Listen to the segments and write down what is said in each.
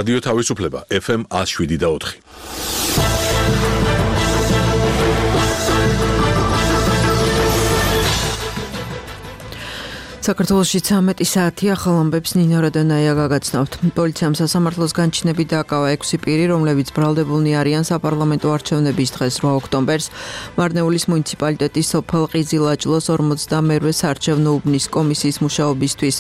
რადიო თავისუფლება FM 107.4. საქართველოში 13 საათი ახალ ამბებს ნინო რადონაია გაგაცნობთ. პოლიციამ სასამართლოს განჩინებით დააკავა 6 პირი, რომლებიც ბრალდებულნი არიან საპარლამენტო არჩევნების დღეს 8 ოქტომბერს მარნეულის მუნიციპალიტეტის სოფელ ყიზილაჭლოს 42-ე საარჩევნო უბნის კომისიის მუშაობისთვის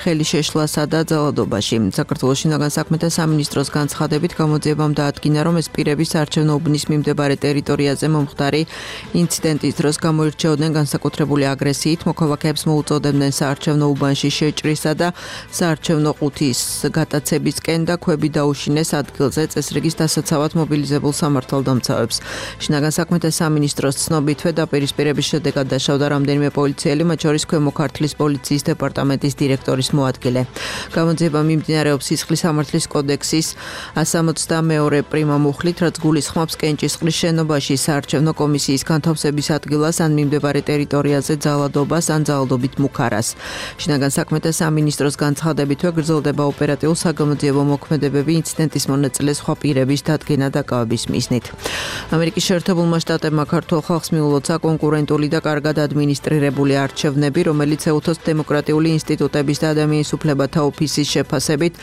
ხელი შეშლასა და ძალადობაში. საქართველოს შინაგან საქმეთა სამინისტროს განცხადებით გამოძიებამ დაადგინა, რომ ეს პირები საარჩევნო უბნის მიმდებარე ტერიტორიაზე მომხდარი ინციდენტის დროს გამოირჩეოდნენ განსაკუთრებული აგრესიით, მოქალაქეებს მოუწოდებდნენ საარჩევნო უბანში შეჭრისა და საარჩევნო ყუთის გატაცებისკენ და ქვები დაუშინეს ადგილზე წესრიგის დასაცავად მობილიზებულ სამართალდამცავებს. შინაგან საქმეთა სამინისტროს ცნობითვე დაპირისპირების შედეგად დაშავდა რამდენიმე პოლიციელი, მათ შორის ქვემო ქართლის პოლიციის დეპარტამენტის დირექტორის მოადგილე. გამოძიება მიმდინარეობს სისხლის სამართლის კოდექსის 162 პრიმა მუხლით, რაც გულისხმობს კენჭისყრის შენობაში საარჩევნო კომისიის განთავსების ადგილას ან მიმდებარე ტერიტორიაზე ძალადობას ან ძალადობით მუქარას. შინაგან საქმეთა სამინისტროს განცხადებითვე გრძელდება ოპერატიულ საგამოძიებო მოქმედებები ინციდენტის მონაწილე სხვა პირების დადგენა დაკავების მიზნით. ამერიკის შეერთებულმა შტატებმა ქართულ ხალხს მიულოცა კონკურენტული და კარგად ადმინისტრირებული არჩევნები, რომელიც EUTHOS დემოკრატიული ინსტიტუტების და ადამიანის უფლებათა ოფისის შეფასებით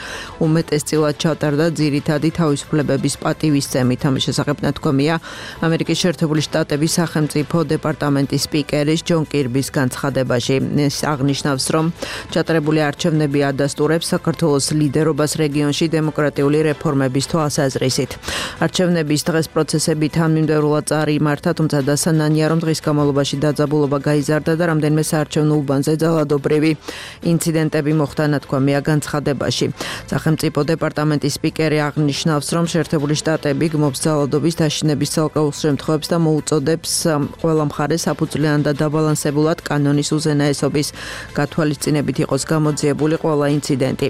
უმეტესწილად ჩატარდა ძირითადი თავისუფლებების პატივისცემით. ამის შესახებ ნათქვამია ამერიკის შეერთებული შტატების სახელმწიფო დეპარტამენტის სპიკერის ჯონ კირბის განცხადებაში. ეს აღნიშნავს, რომ ჩატარებული არჩევნები ადასტურებს საქართველოს ლიდერობას რეგიონში დემოკრატიული რეფორმების თვალსაზრისით. არჩევნების დღეს პროცესები თანმიმდევრულად წარიმართა, თუმცა დასანანია, რომ დღის განმავლობაში დაძაბულობა გაიზარდა და რამდენიმე საარჩევნო უბანზე ძალადობრივი ინციდენტები მოხდა, ნათქვამია განცხადებაში. სახელმწიფო დეპარტამენტის სპიკერი აღნიშნავს, რომ შეერთებული შტატები გმობს ძალადობის დაშინების ცალკეულ შემთხვევებს და მოუწოდებს ყველა მხარეს საფუძვლიან და დაბალანსებულად კანონის უზენაესობის გათვალისწინებით იყოს გამოძიებული ყველა ინციდენტი.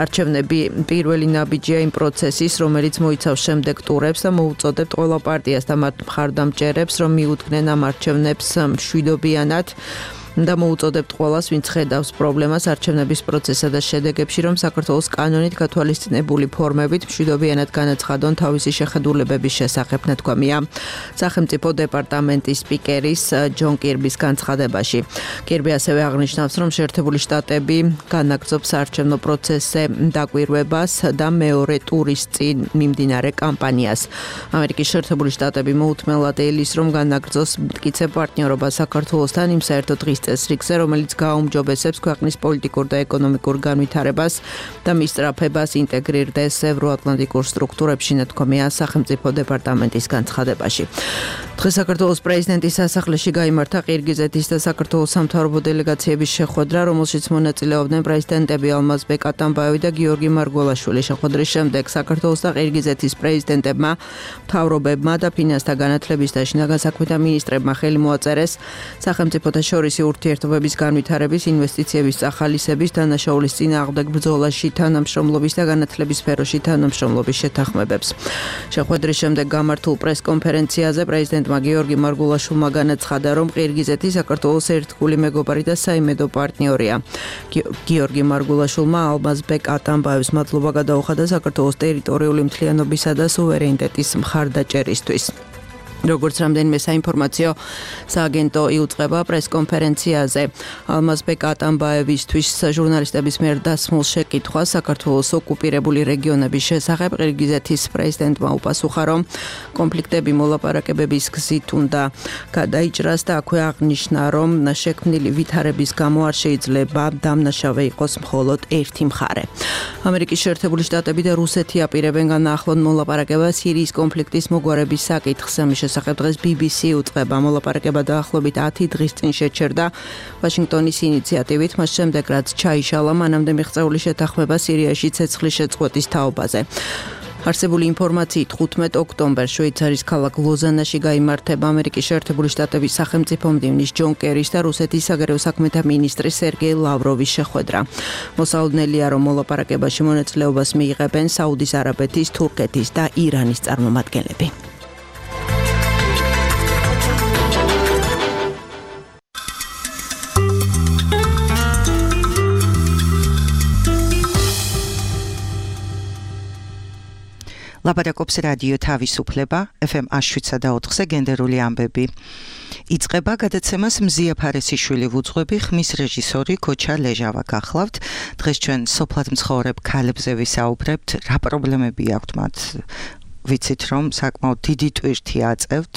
არჩევნები პირველი ნაბიჯია იმ პროცესის, რომელიც მოიცავს შემდეგ ტურებს და მოუწოდებთ ყველა პარტიას და მათ მხარდამჭერებს, რომ მიუდგნენ ამ არჩევნებს მშვიდობიანად და მოუწოდებთ ყველას, ვინც ხედავს პრობლემას არჩევნების პროცესსა და შედეგებში, რომ საქართველოს კანონით გათვალისწინებული ფორმებით მშვიდობიანად განაცხადონ თავისი შეხედულებების შესახებ, ნათქვამია სახელმწიფო დეპარტამენტის სპიკერის ჯონ კირბის განცხადებაში. კირბი ასევე აღნიშნავს, რომ შეერთებული შტატები განაგრძობს საარჩევნო პროცესზე დაკვირვებას და მეორე ტურის წინ მიმდინარე კამპანიას. ამერიკის შეერთებული შტატები მოუთმელად ელის, რომ განაგრძოს მტკიცე პარტნიორობა საქართველოსთან იმ საერთო დღის წესრიგზე, რომელიც გააუმჯობესებს ქვეყნის პოლიტიკურ და ეკონომიკურ განვითარებას და მის სწრაფებას ინტეგრირდეს ევროატლანტიკურ სტრუქტურებში, ნათქვამია სახელმწიფო დეპარტამენტის განცხადებაში. დღეს საქართველოს პრეზიდენტის სასახლეში გაიმართა ყირგიზეთის და საქართველოს სამთავრობო დელეგაციების შეხვედრა, რომელშიც მონაწილეობდნენ პრეზიდენტები ალმაზბეკ ატამბაევი და გიორგი მარგველაშვილი. შეხვედრის შემდეგ საქართველოს და ყირგიზეთის პრეზიდენტებმა, მთავრობებმა და ფინანსთა განათლების და შინაგან საქმეთა მინისტრებმა ხელი მოაწერეს სახელმწიფოთა შორისი ურთიერთობების განვითარების, ინვესტიციების წახალისების, დანაშაულის წინააღმდეგ ბრძოლაში თანამშრომლობის და განათლების სფეროში თანამშრომლობის შეთანხმებებს. შეხვედრის შემდეგ გამართულ პრესკონფერენციაზე პრეზიდენტმა გიორგი მარგულაშვილმა განაცხადა, რომ ყირგიზეთი საქართველოს ერთგული მეგობარი და საიმედო პარტნიორია. გიორგი მარგულაშვილმა ალმაზბეკ ატამბაევს მადლობა გადაუხადა საქართველოს ტერიტორიული მთლიანობისა და სუვერენიტეტის მხარდაჭერისთვის. როგორც რამდენიმე საინფორმაციო სააგენტო იუწყება პრესკონფერენციაზე, ალმაზბეკ ატამბაევისთვის ჟურნალისტების მიერ დასმულ შეკითხვას საქართველოს ოკუპირებული რეგიონების შესახებ ყირგიზეთის პრეზიდენტმა უპასუხა, რომ კონფლიქტები მოლაპარაკებების გზით უნდა გადაიჭრას და აქვე აღნიშნა, რომ შექმნილი ვითარების გამო არ შეიძლება დამნაშავე იყოს მხოლოდ ერთი მხარე. ამერიკის შეერთებული შტატები და რუსეთი აპირებენ განაახლონ მოლაპარაკებას სირიის კონფლიქტის მოგვარების საკითხზე. შესახებ დღეს BBC უწყება მოლაპარაკება დაახლოებით 10 დღის წინ შეჩერდა ვაშინგტონის ინიციატივით, მას შემდეგ რაც ჩაიშალა მანამდე მიღწეული შეთანხმება სირიაში ცეცხლის შეწყვეტის თაობაზე. არსებული ინფორმაციით 15 ოქტომბერს შვეიცარიის ქალაქ ლოზანაში გაიმართება ამერიკის შეერთებული შტატების სახელმწიფო მდივნის ჯონ კერის და რუსეთის საგარეო საქმეთა მინისტრის სერგეი ლავროვის შეხვედრა. მოსალოდნელია, რომ მოლაპარაკებაში მონაწილეობას მიიღებენ საუდის არაბეთის, თურქეთის და ირანის წარმომადგენლები. ლაპარაკობს რადიო თავისუფლება FM 107.4-ზე გენდერული ამბები. იწყება გადაცემას მზია ფარესიშვილი ვუძღვები, ხმის რეჟისორი ქოჩა ლეჟავა გახლავთ. დღეს ჩვენ სოფლად მცხოვრებ ქალებზე ვისაუბრებთ, რა პრობლემები აქვთ მათ. ვიცით რომ საკმაოდ დიდი ტვირთი აწევთ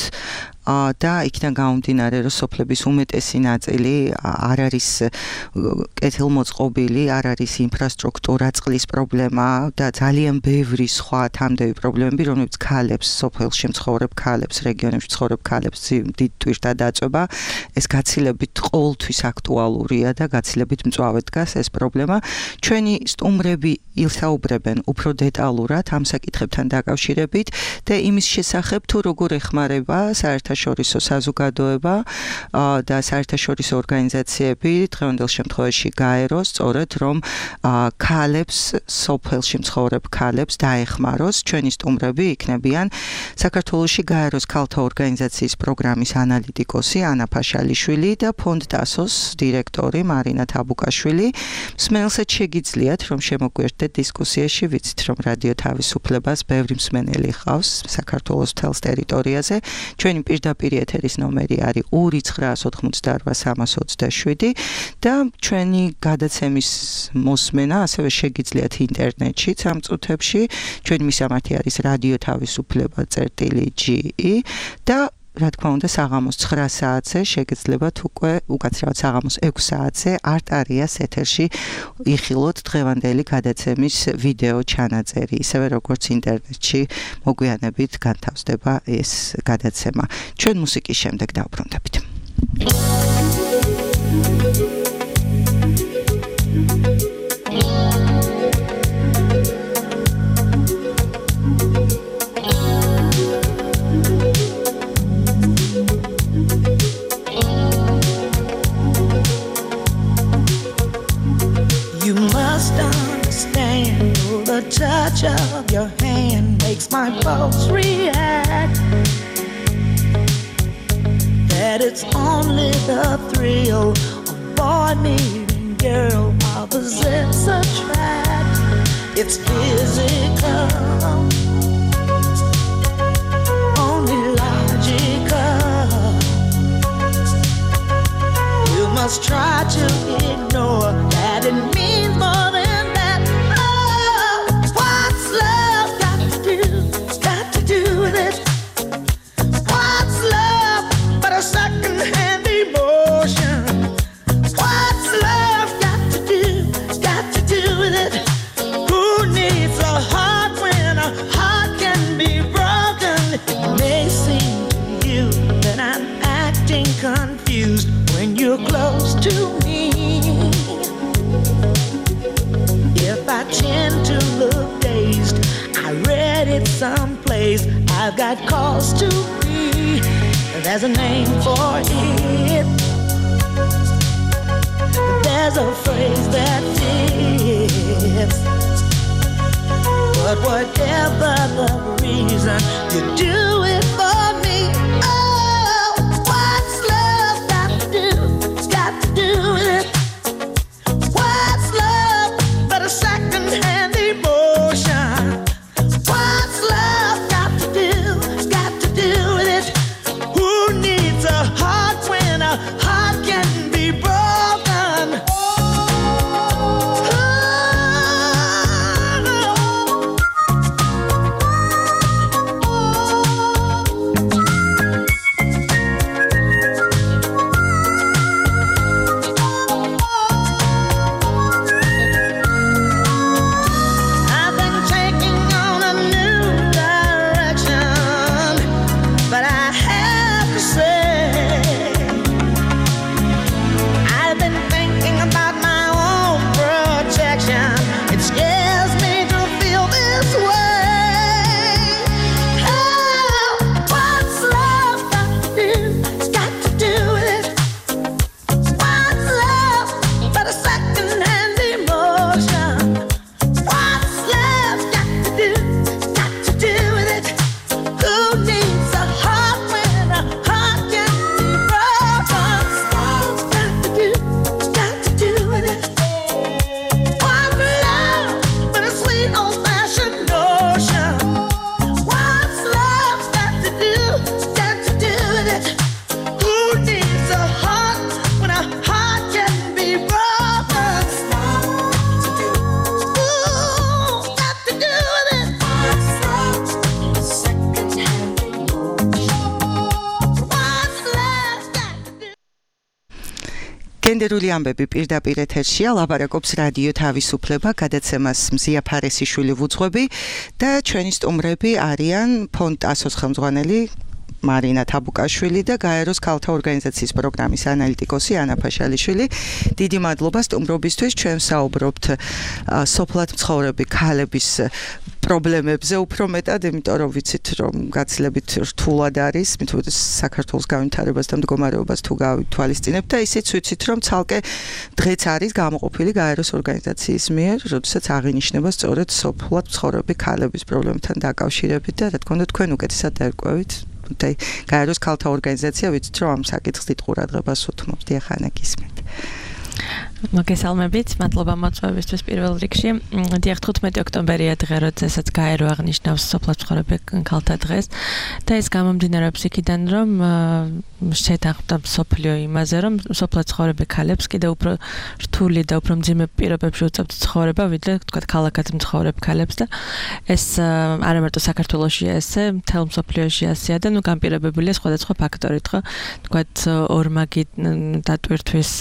და იქიდან გამომდინარე რომ სოფლების უმეტესი ნაწილი არ არის კეთილმოწყობილი, არ არის ინფრასტრუქტურა, წყლის პრობლემა და ძალიან ბევრი სხვა თამდევი პრობლემები, რომლებიც ქალებს, სოფელში მცხოვრებ ქალებს, რეგიონებში მცხოვრებ ქალებს დიდ ტვირთად აწვება. ეს გაცილებით ყოველთვის აქტუალურია და გაცილებით მწვავედ დგას ეს პრობლემა. ჩვენი სტუმრები ისაუბრებენ უფრო დეტალურად ამ საკითხებთან დაკავშირებით და იმის შესახებ თუ როგორ ეხმარება საერთაშორისო საზოგადოება და საერთაშორისო ორგანიზაციები დღევანდელ შემთხვევაში გაეროს სწორედ რომ ქალებს, სოფელში მცხოვრებ ქალებს დაეხმაროს. ჩვენი სტუმრები იქნებიან საქართველოში გაეროს ქალთა ორგანიზაციის პროგრამის ანალიტიკოსი ანა ფაშალიშვილი და ფონდ დასოს დირექტორი მარინა თაბუკაშვილი. მსმენელსაც შეგიძლიათ რომ შემოგვიერთდეთ დისკუსიაში, ვიცით რომ რადიო თავისუფლებას ბევრი მსმენელი ჰყავს საქართველოს მთელს ტერიტორიაზე. ჩვენი პირდაპირ ეთერის ნომერი არის 2988327 და ჩვენი გადაცემის მოსმენა ასევე შეგიძლიათ ინტერნეტში ამ წუთებში. ჩვენი მისამართი არის რადიო თავისუფლება.ge და რა თქმა უნდა საღამოს 9 საათზე შეგეძლებათ უკვე უკაცრავად საღამოს 6 საათზე არტარიას ეთერში იხილოთ დღევანდელი გადაცემის ვიდეო ჩანაწერი. ისევე როგორც ინტერნეტში მოგვიანებით განთავსდება ეს გადაცემა. ჩვენ მუსიკის შემდეგ დავბრუნდებით. You must understand, the touch of your hand makes my pulse react. That it's only the thrill of boy meeting girl, opposites attract. It's physical, only logical. You must try to ignore that it means more than that. Oh, what's love got to do with it? What's love but a second-hand emotion? What's love got to do with it? Who needs a heart when a heart can be broken? It may seem to you that I'm acting confused when you're close to me. If I tend to look dazed, I read it someplace. I've got cause to be. There's a name for it. There's a phrase that fits. But whatever the reason, you do it for me. Oh, what's love got to do with it? What's love but a second-hand emotion? What's love got to do with it? Who needs a heart when a heart can be broken? გენდერული ამბები პირდაპირ ეთერშია, ლაპარაკობს რადიო თავისუფლება, გადაცემას მზია ფარესიშვილი ვუძღვები და ჩვენი სტუმრები არიან ფონდ ASO-ს ხელმძღვანელი მარინა თაბუკაშვილი და გაეროს ქალთა ორგანიზაციის პროგრამის ანალიტიკოსი ანა ფაშალიშვილი. დიდი მადლობა სტუმრობისთვის. ჩვენ საუბრობთ სოფლად მცხოვრები ქალების პრობლემებზე უფრო მეტად, იმიტომ რომ ვიცით, რომ გაცილებით რთულად არის, მithumეტეს საქართველოს განვითარებას და მდგომარეობას თუ გავითვალისწინებთ და ისიც ვიცით, რომ ცალკე დღეც არის გამოყოფილი გაეროს ორგანიზაციის მიერ, როდესაც აღინიშნება სწორედ სოფლად მცხოვრები ქალების პრობლემებთან დაკავშირებით და რა თქმა უნდა თქვენ უკეთესად დაერკვევით. გაეროს ქალთა ორგანიზაცია ვიცით, რომ ამ საკითხს დიდ ყურადღებას უთმობს. დიახ, ანა გისმენთ. მოგესალმებით, მადლობა მოწვევისთვის პირველ რიგში. დიახ, 15 ოქტომბერია დღე, როდესაც გაერო აღნიშნავს სოფლად მცხოვრებ ქალთა დღეს და ეს გამომდინარეობს იქიდან, რომ შეთანხმდა მსოფლიო იმაზე, რომ სოფლად მცხოვრებ ქალებს კიდევ უფრო რთული და უფრო მძიმე პირობებში უწევთ ცხოვრება, ვიდრე თქვათ ქალაქად მცხოვრებ ქალებს და ეს არა მარტო საქართველოშია ესე, მთელ მსოფლიოში ასეა და განპირობებულია სხვადასხვა ფაქტორით, ხო? თქვათ ორმაგი დატვირთვის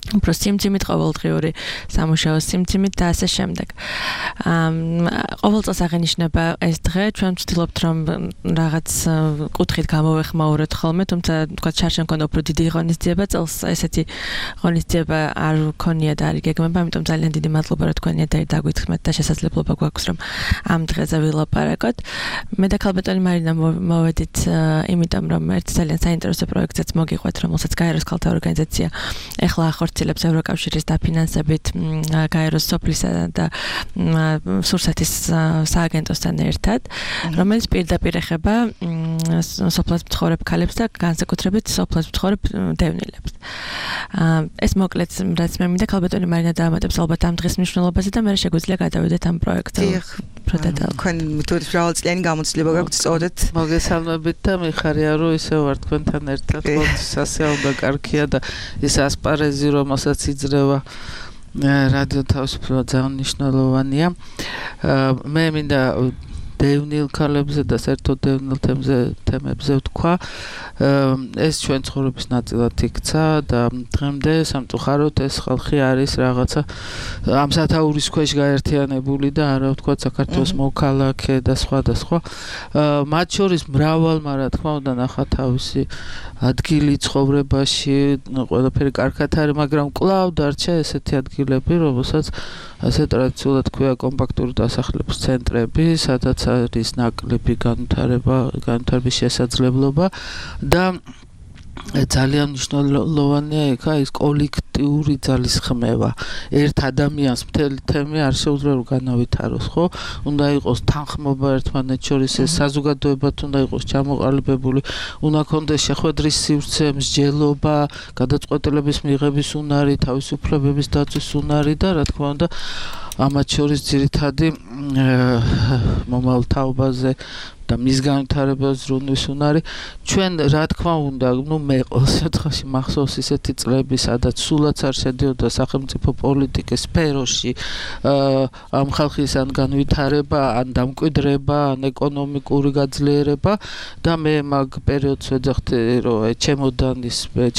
უფრო სიმძიმით, ყოველდღიური სამუშაო სიმძიმით და ასე შემდეგ. ყოველ წელს აღინიშნება ეს დღე, ჩვენ ვცდილობთ რომ რაღაც კუთხით გამოვეხმაუროთ ხოლმე, თუმცა თქვათ შარშან მქონდა უფრო დიდი ღონისძიება, წელს ესეთი ღონისძიება არ გქონია და არ იგეგმება, ამიტომ ძალიან დიდი მადლობა რომ თქვენი და დაგვითხრმეთ და შესაძლებლობა გვაქვს რომ ამ დღეზე ვილაპარაკოთ. მე და ქალბატონი მარინა მოვედით იმიტომ რომ ერთ ძალიან საინტერესო პროექტზეც მოგიყვეთ, რომელსაც გაეროს ქალთა ორგანიზაცია ეხლა ახორციელებს ევროკავშირის დაფინანსებით გაეროს სოფლისა და სურსათის სააგენტოსთან ერთად, რომელიც პირდაპირ ეხება სოფლად მცხოვრებ ქალებს და განსაკუთრებით სოფლად მცხოვრებ დევნილებს. ეს მოკლედ რაც მე მინდა ქალბატონი მარინა დაამატებს ალბათ ამ დღის მნიშვნელობაზე და მე შეგვიძლია გადავიდეთ ამ პროექტზე. თქვენ თვითონ მრავალწლიანი გამოცდილება გაქვთ სწორედ. მოგესალმებით და მიხარია რომ ისე ვარ თქვენთან ერთად, სასიაუბრო კარგია და ეს ასპარეზი რომელსაც იძრევა რადიო თავისუფლება ძალიან მნიშვნელოვანია. მე მინდა დევნილ ქალებზე და საერთოდ დევნილ თემებზე ვთქვა. ეს ჩვენ ცხოვრების ნაწილად იქცა და დღემდე სამწუხაროდ ეს ხალხი არის რაღაცა ამ სათაურის ქვეშ გაერთიანებული და არა ვთქვა საქართველოს მოქალაქე და სხვა და სხვა. მათ შორის მრავალმა რა თქმა უნდა ნახა თავისი ადგილი ცხოვრებაში, ყველაფერი კარგად არის, მაგრამ კვლავ დარჩა ესეთი ადგილები, რომელსაც ასე ტრადიციულად ქვია კომპაქტური დასახლების ცენტრები, სადაც არის ნაკლები განვითარების შესაძლებლობა და ძალიან მნიშვნელოვანია იქა ის კოლექტიური ძალისხმევა. ერთ ადამიანს მთელი თემი არ შეუძლია რომ განავითაროს, ხო? უნდა იყოს თანხმობა ერთმანეთს შორის, ეს საზოგადოებად უნდა იყოს ჩამოყალიბებული, უნდა ქონდეს შეხვედრის სივრცე, მსჯელობა, გადაწყვეტილების მიღების უნარი, თავისუფლებების დაცვის უნარი და რა თქმა უნდა ამათ შორის ძირითადი მომავალ თაობაზე და მის განვითარებას ზრუნვის უნარი. ჩვენ რა თქმა უნდა, მე ყოველ შემთხვევაში მახსოვს ისეთი წლები, სადაც სულაც არ შედიოდა სახელმწიფო პოლიტიკის სფეროში ამ ხალხის ან განვითარება, ან დამკვიდრება, ან ეკონომიკური გაძლიერება და მე მაგ პერიოდს ვეძახდი, რომ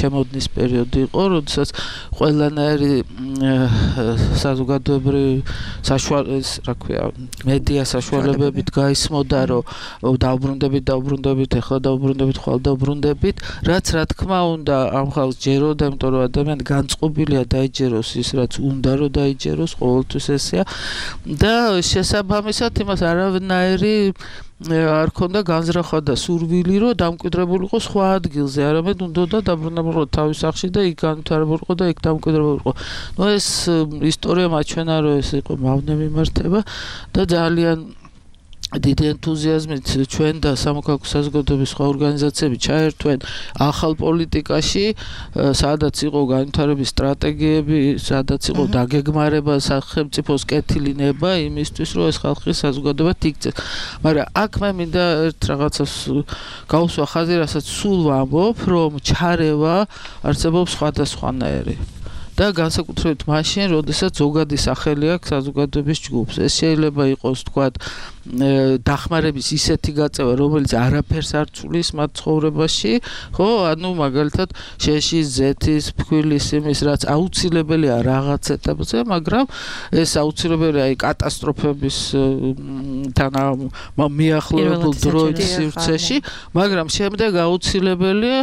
ჩემოდნის პერიოდი იყო, როდესაც ყველანაირი საზოგადოებრივი მედია საშუალებებით გაისმოდა, რომ დაუბრუნდებით, ეხლა დაუბრუნდებით, ხვალ დაუბრუნდებით, რაც რა თქმა უნდა ამ ხალხს ჯეროდა, იმიტომ რომ ადამიანი განწყობილია დაიჯეროს ის, რაც უნდა რომ დაიჯეროს, ყოველთვის ესეა და შესაბამისად იმას არავნაირი არ ქონდა განზრახვა და სურვილი, რომ დამკვიდრებულიყო სხვა ადგილზე, არამედ უნდა დაბრუნებულიყო თავის სახლში და იქ განვითარებულიყო და იქ დამკვიდრებულიყო. ეს ისტორია მაჩვენა, რომ ეს იყო მავნე მიმართება და ძალიან დიდი ენთუზიაზმით ჩვენ და სამოქალაქო საზოგადოების სხვა ორგანიზაციები ჩაერთვენ ახალ პოლიტიკაში, სადაც იყო განვითარების სტრატეგიები, სადაც იყო დაგეგმარება სახელმწიფოს კეთილინება იმისთვის, რომ ეს ხალხი საზოგადოებად იქცეს. მაგრამ აქ მე მინდა ერთ რაღაცას გავუსვა ხაზი, რასაც სულ ვამბობ, რომ ჩარევა არსებობს სხვადასხვანაირი. და განსაკუთრებით მაშინ, როდესაც ზოგადი სახელი აქვს საზოგადოების ჯგუფს. ეს შეიძლება იყოს, თქვათ, დახმარების ისეთი გაწევა, რომელიც არაფერს არ ცვლის მათ ცხოვრებაში, ხო, ანუ მაგალითად შეშის, ზეთის, ფქვილის იმის, რაც აუცილებელია რაღაც ეტაპზე, მაგრამ ეს აუცილებელია კატასტროფების მიახლოებულ დროის სივრცეში, მაგრამ შემდეგ აუცილებელია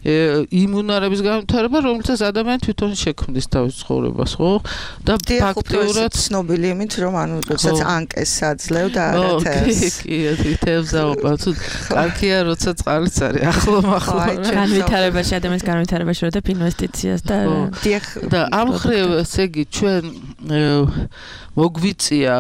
იმუნარების განვითარება, რომელსაც ადამიანი თვითონ შექმნის თავის ცხოვრებას, ხო? და ფაქტიურად ცნობილი იმით, რომ ანუ როდესაც ანკეს აძლევ და არათეს. კი, თევზაობა, თუ კარგია, როცა წყალიც არის, ახლა. განვითარებაში, ადამიანის განვითარებაში როდებ ინვესტიციას და ამ მხრივ, ესე იგი, ჩვენ მოგვიწია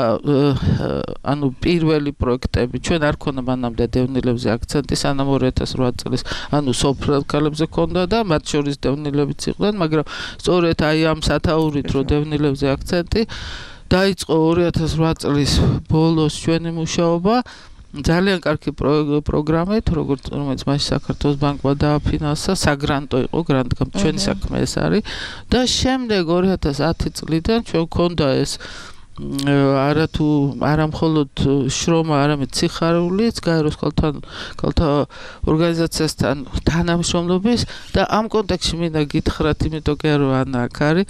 ანუ პირველი პროექტები, ჩვენ არ ქონდა მანამდე დევნილებზე აქცენტი, სანამ 2008 წლის, ანუ სოფლელ ქალებზე ქონდა და მათ შორის დევნილებიც იყვნენ, მაგრამ სწორედ აი ამ სათაურით რო დევნილებზე აქცენტი დაიწყო 2008 წლის ბოლოს ჩვენი მუშაობა ძალიან კარგი პროგრამით, რომელიც მაშინ საქართველოს ბანკმა დააფინანსა, საგრანტო იყო, გრანტი ჩვენი საქმე ეს არის და შემდეგ 2010 წლიდან ჩვენ ქონდა ეს არა მხოლოდ შრომა, არამედ სიხარულიც გაეროს ქალთა ორგანიზაციასთან თანამშრომლობის და ამ კონტექსტში მინდა გითხრათ, იმიტომ კი არა ანა აქ არის,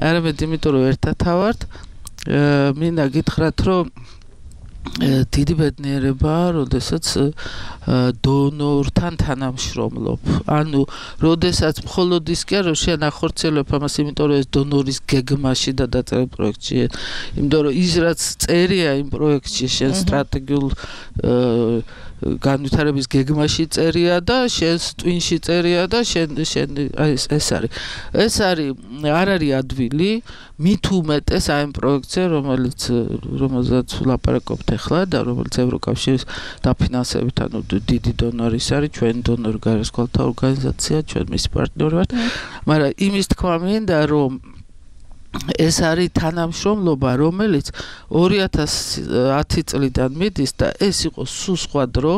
არამედ იმიტომ რომ ერთად ვართ, მინდა გითხრათ, რომ დიდი ბედნიერება, როდესაც დონორთან თანამშრომლობ. ანუ, როდესაც მხოლოდ ის კი არა, რომ შენ ახორციელებ ამას, იმიტომ რომ ეს დონორის გეგმაში და დაწერილ პროექტში, იმიტომ რომ ის რაც წერია იმ პროექტში, შენ სტრატეგიულ განვითარების გეგმაში წერია და შენს ტვინში წერია და შენ ეს არის. ეს არის არ არის ადვილი, მით უმეტეს აი ამ პროექტზე, რომელზეც ვლაპარაკობთ ახლა და რომელიც ევროკავშირის დაფინანსებით, ანუ დიდი დონორი არის, ჩვენი დონორი გაეროს ქალთა ორგანიზაცია, ჩვენ მისი პარტნიორი ვართ. მაგრამ იმის თქვა მინდა, რომ ეს არის თანამშრომლობა, რომელიც 2010 წლიდან მიდის და ეს იყო სულ სხვა დრო,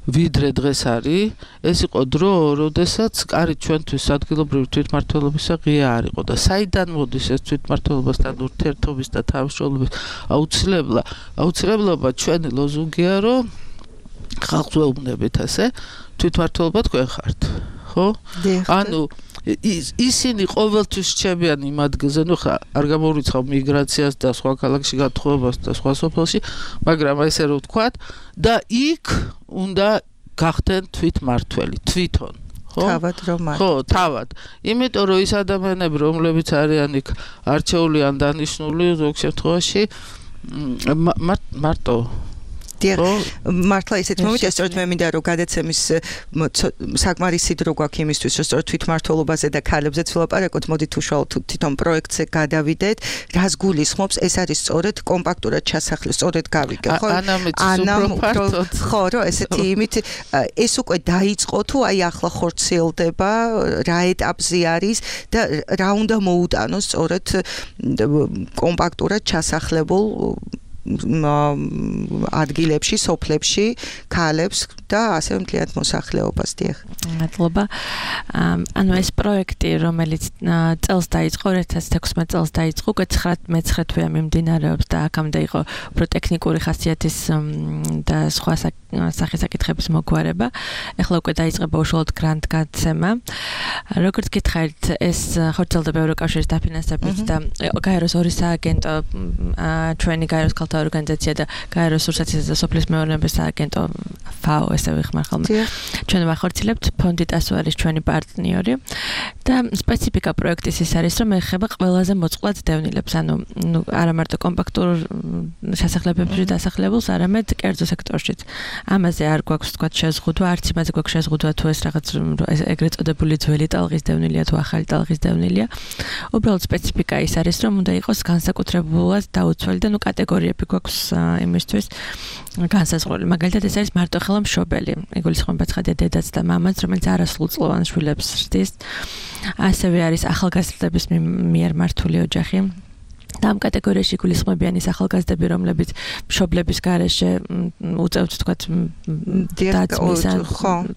ვიდრე დღეს არის. ეს იყო დრო, როდესაც კარი ჩვენთვის ადგილობრივი თვითმმართველობისა ღია არ იყო და საიდან მოდის ეს თვითმმართველობასთან ურთიერთობის და თანამშრომლობის აუცილებლობა ჩვენი ლოზუნგია, რომ ხალხს ვეუბნებით ასე, თვითმმართველობა თქვენ ხართ, ხო? ანუ ისინი ყოველთვის რჩებიან იმ ადგილზე, ნუ ხა არ გამოვიწყავ მიგრაციას და სხვა ქალაქში გათხოვებას და სხვა სოფელში, მაგრამ ესე რომ ვთქვათ და იქ უნდა გახდნენ თვითმმართველი, თვითონ. თავად რომ არ. ხო, თავად. იმიტომ რომ ის ადამიანები, რომლებიც არიან იქ არჩეული ან დანიშნული ზოგ შემთხვევაში მარტო მართლა ისეთ მომენტია, სწორედ მე მინდა რომ გადაცემის საკმარისი დრო გვაქვს იმისთვის, რომ სწორედ თვითმმართველობაზე და ქალებზეც ვლაპარაკოთ, მოდით უშუალოდ თვითონ პროექტზე გადავიდეთ, რას გულისხმობს, ეს არის სწორედ კომპაქტურად ჩასახლე, სწორედ გავიგე, ხო? ხო, რომ ესეთი იმით ეს უკვე დაიწყო თუ აი ახლა ხორციელდება, რა ეტაპზე არის და რა უნდა მოუტანოს სწორედ კომპაქტურად ჩასახლებულ ადგილებში, სოფლებში, ქალებს და ასევე მთლიანად მოსახლეობას. დიახ. მადლობა. ანუ ეს პროექტი, რომელიც წელს დაიწყო, 2016 წელს დაიწყო, 19 თვეა მიმდინარეობს და აქამდე იყო უფრო ტექნიკური ხასიათის და სხვა სახის-საკითხების მოგვარება. ეხლა უკვე დაიწყება უშუალოდ გრანტ-გაცემა. როგორც გითხარით, ეს ხორციელდება ევროკავშირის დაფინანსებით და გაეროს ორი სააგენტო, ჩვენი გაეროს ქალთა ორგანიზაცია და გაეროს რუსეთის და სოფლის მეურნეობის სააგენტო FAO ესე ვიხმარხალმე. ჩვენ ვახორციელებთ, ფონდი ტასო არის ჩვენი პარტნიორი და სპეციფიკა პროექტის ის არის, რომ ეხება ყველაზე მოწყვლად დევნილებს, ანუ არა მარტო კომპაქტურ შესახლებებში დასახლებულს, არამედ კერძო სექტორშიც. ამაზე არ გვაქვს თქვა შეზღუდვა, არც იმაზე გვაქვს შეზღუდვა თუ ეს რაღაც ეგრეთ წოდებული ძველი ტალღის დევნილია თუ ახალი ტალღის დევნილია. უბრალოდ სპეციფიკა ის არის, რომ უნდა იყოს განსაკუთრებულად დაუცველი და კატეგორიები გვაქვს იმისთვის განსაზღვრული. მაგალითად ეს არის მარტო ხელა მშობელი. იგულისხმება ცხადია დედაც და მამაც, რომელიც არასრულწლოვან შვილებს ზრდის. ასევე არის ახალგაზრდების მიერ მართული ოჯახი. და ამ კატეგორიაში გულისხმობიანი ახალგაზრდები, რომლებიც მშობლების გარეშე უწევთ თქვათ დაცვის ან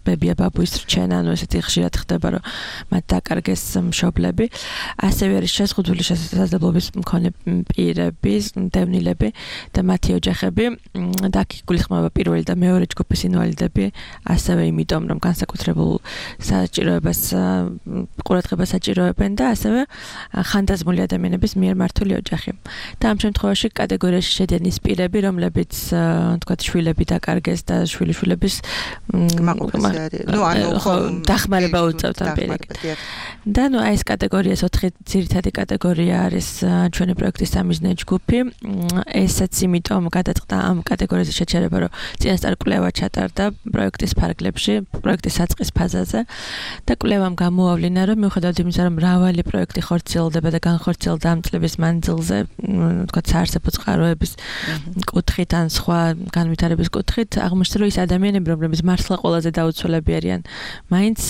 ბებია ბაბუის რჩენა, ანუ ესეთი ხშირად ხდება, რომ მათ დაკარგეს მშობლები. ასევე არის შეზღუდული შესაძლებლობის მქონე პირები, დევნილები და მათი ოჯახები და აქ გულისხმობა პირველი და მეორე ჯგუფის ინვალიდები, ასევე იმიტომ, რომ განსაკუთრებულ საჭიროებას ყურადღებას საჭიროებენ და ასევე ხანდაზმული ადამიანების მიერ მართული ოჯახი. და ამ შემთხვევაში კატეგორიაში შედიან ის პირები, რომლებიც თქვათ შვილები დაკარგეს და შვილიშვილების დახმარება უწევთ ამ პირიქით. და აი ეს კატეგორიას 4 ძირითადი კატეგორია არის ჩვენი პროექტის სამიზნე ჯგუფი. ესაც იმიტომ გადაწყდა ამ კატეგორიაზე შეჩერება, რომ წინასწარ კვლევა ჩატარდა პროექტის ფარგლებში, პროექტის საწყის ფაზაზე და კვლევამ გამოავლინა, რომ მიუხედავად იმისა, რომ მრავალი პროექტი ხორციელდება და განხორციელდა ამ წლების მანძილზე, თქვათ საარსებო წყაროების კუთხით ან სხვა განვითარების კუთხით, აღმოჩნდა, რომ ის ადამიანები, რომლებიც მართლა ყველაზე დაუცველები არიან, მაინც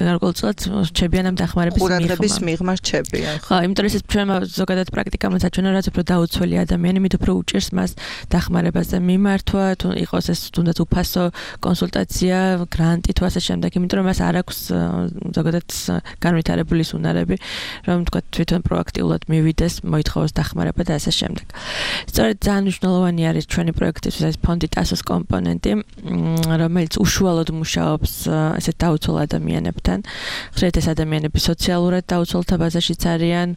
გარკვეულწილად რჩებიან ამ დახმარების მიღმა რჩებიან. ხო, იმიტომ რომ ეს ჩვენმა ზოგადად პრაქტიკამ საჩვენო, რაც უფრო დაუცველი ადამიანი, მით უფრო უჭირს მას დახმარებაზე მიმართვა, თუ იყოს ეს თუნდაც უფასო კონსულტაცია, გრანტი თუ ასე შემდეგ, იმიტომ რომ მას არ აქვს ზოგადად განვითარებული უნარები, რომ თქვათ თვითონ პროაქტიულად მივიდეს, მოითხოვოს დახმარება და ასე შემდეგ. სწორედ ძალიან მნიშვნელოვანი არის ჩვენი პროექტისთვის ეს ფონდი ტასოს კომპონენტი, რომელიც უშუალოდ მუშაობს ესეთ დაუცველ ადამიანებთან. ხშირად ეს ადამიანები სოციალურად დაუცველთა ბაზაშიც არიან,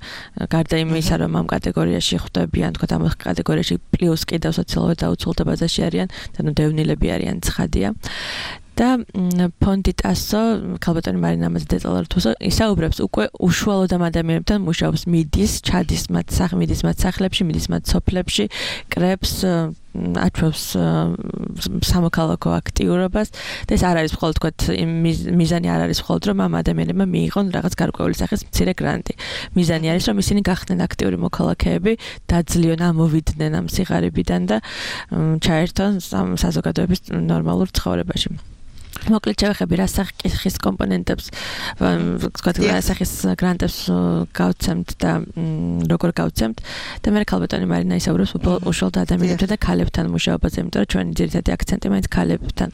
გარდა იმისა, რომ ამ კატეგორიაში ხვდებიან, თქვათ ამ კატეგორიაში პლუს კიდევ სოციალურად დაუცველთა ბაზაში არიან, ანუ დევნილები არიან, ცხადია. და ფონდი ტასო, ქალბატონი მარინა ამაზე დეტალურად ისაუბრებს, უკვე უშუალოდ ამ ადამიანებთან მუშაობს, მიდის მათ სახლებში, მიდის მათ სოფლებში, კრებს აჩვევს სამოქალაქო აქტიურობას და ეს არ არის მხოლოდ თქვათ მიზანი არ არის მხოლოდ რომ ამ ადამიანებმა მიიღონ რაღაც გარკვეული სახის მცირე გრანტი. მიზანი არის რომ ისინი გახდნენ აქტიური მოქალაქეები, დაძლიონ ამოვიდნენ ამ სიღარიბიდან და ჩაერთონ საზოგადოების ნორმალურ ცხოვრებაში. მოკლედ შევეხები რა სახის კომპონენტებს, თქვათ რა სახის გრანტებს გავცემთ და როგორ გავცემთ და მე ქალბატონი მარინა ისაუბრებს უშუალოდ ადამიანებთან და ქალებთან მუშაობაზე, იმიტომ რომ ჩვენი ძირითადი აქცენტი მაინც ქალებთან.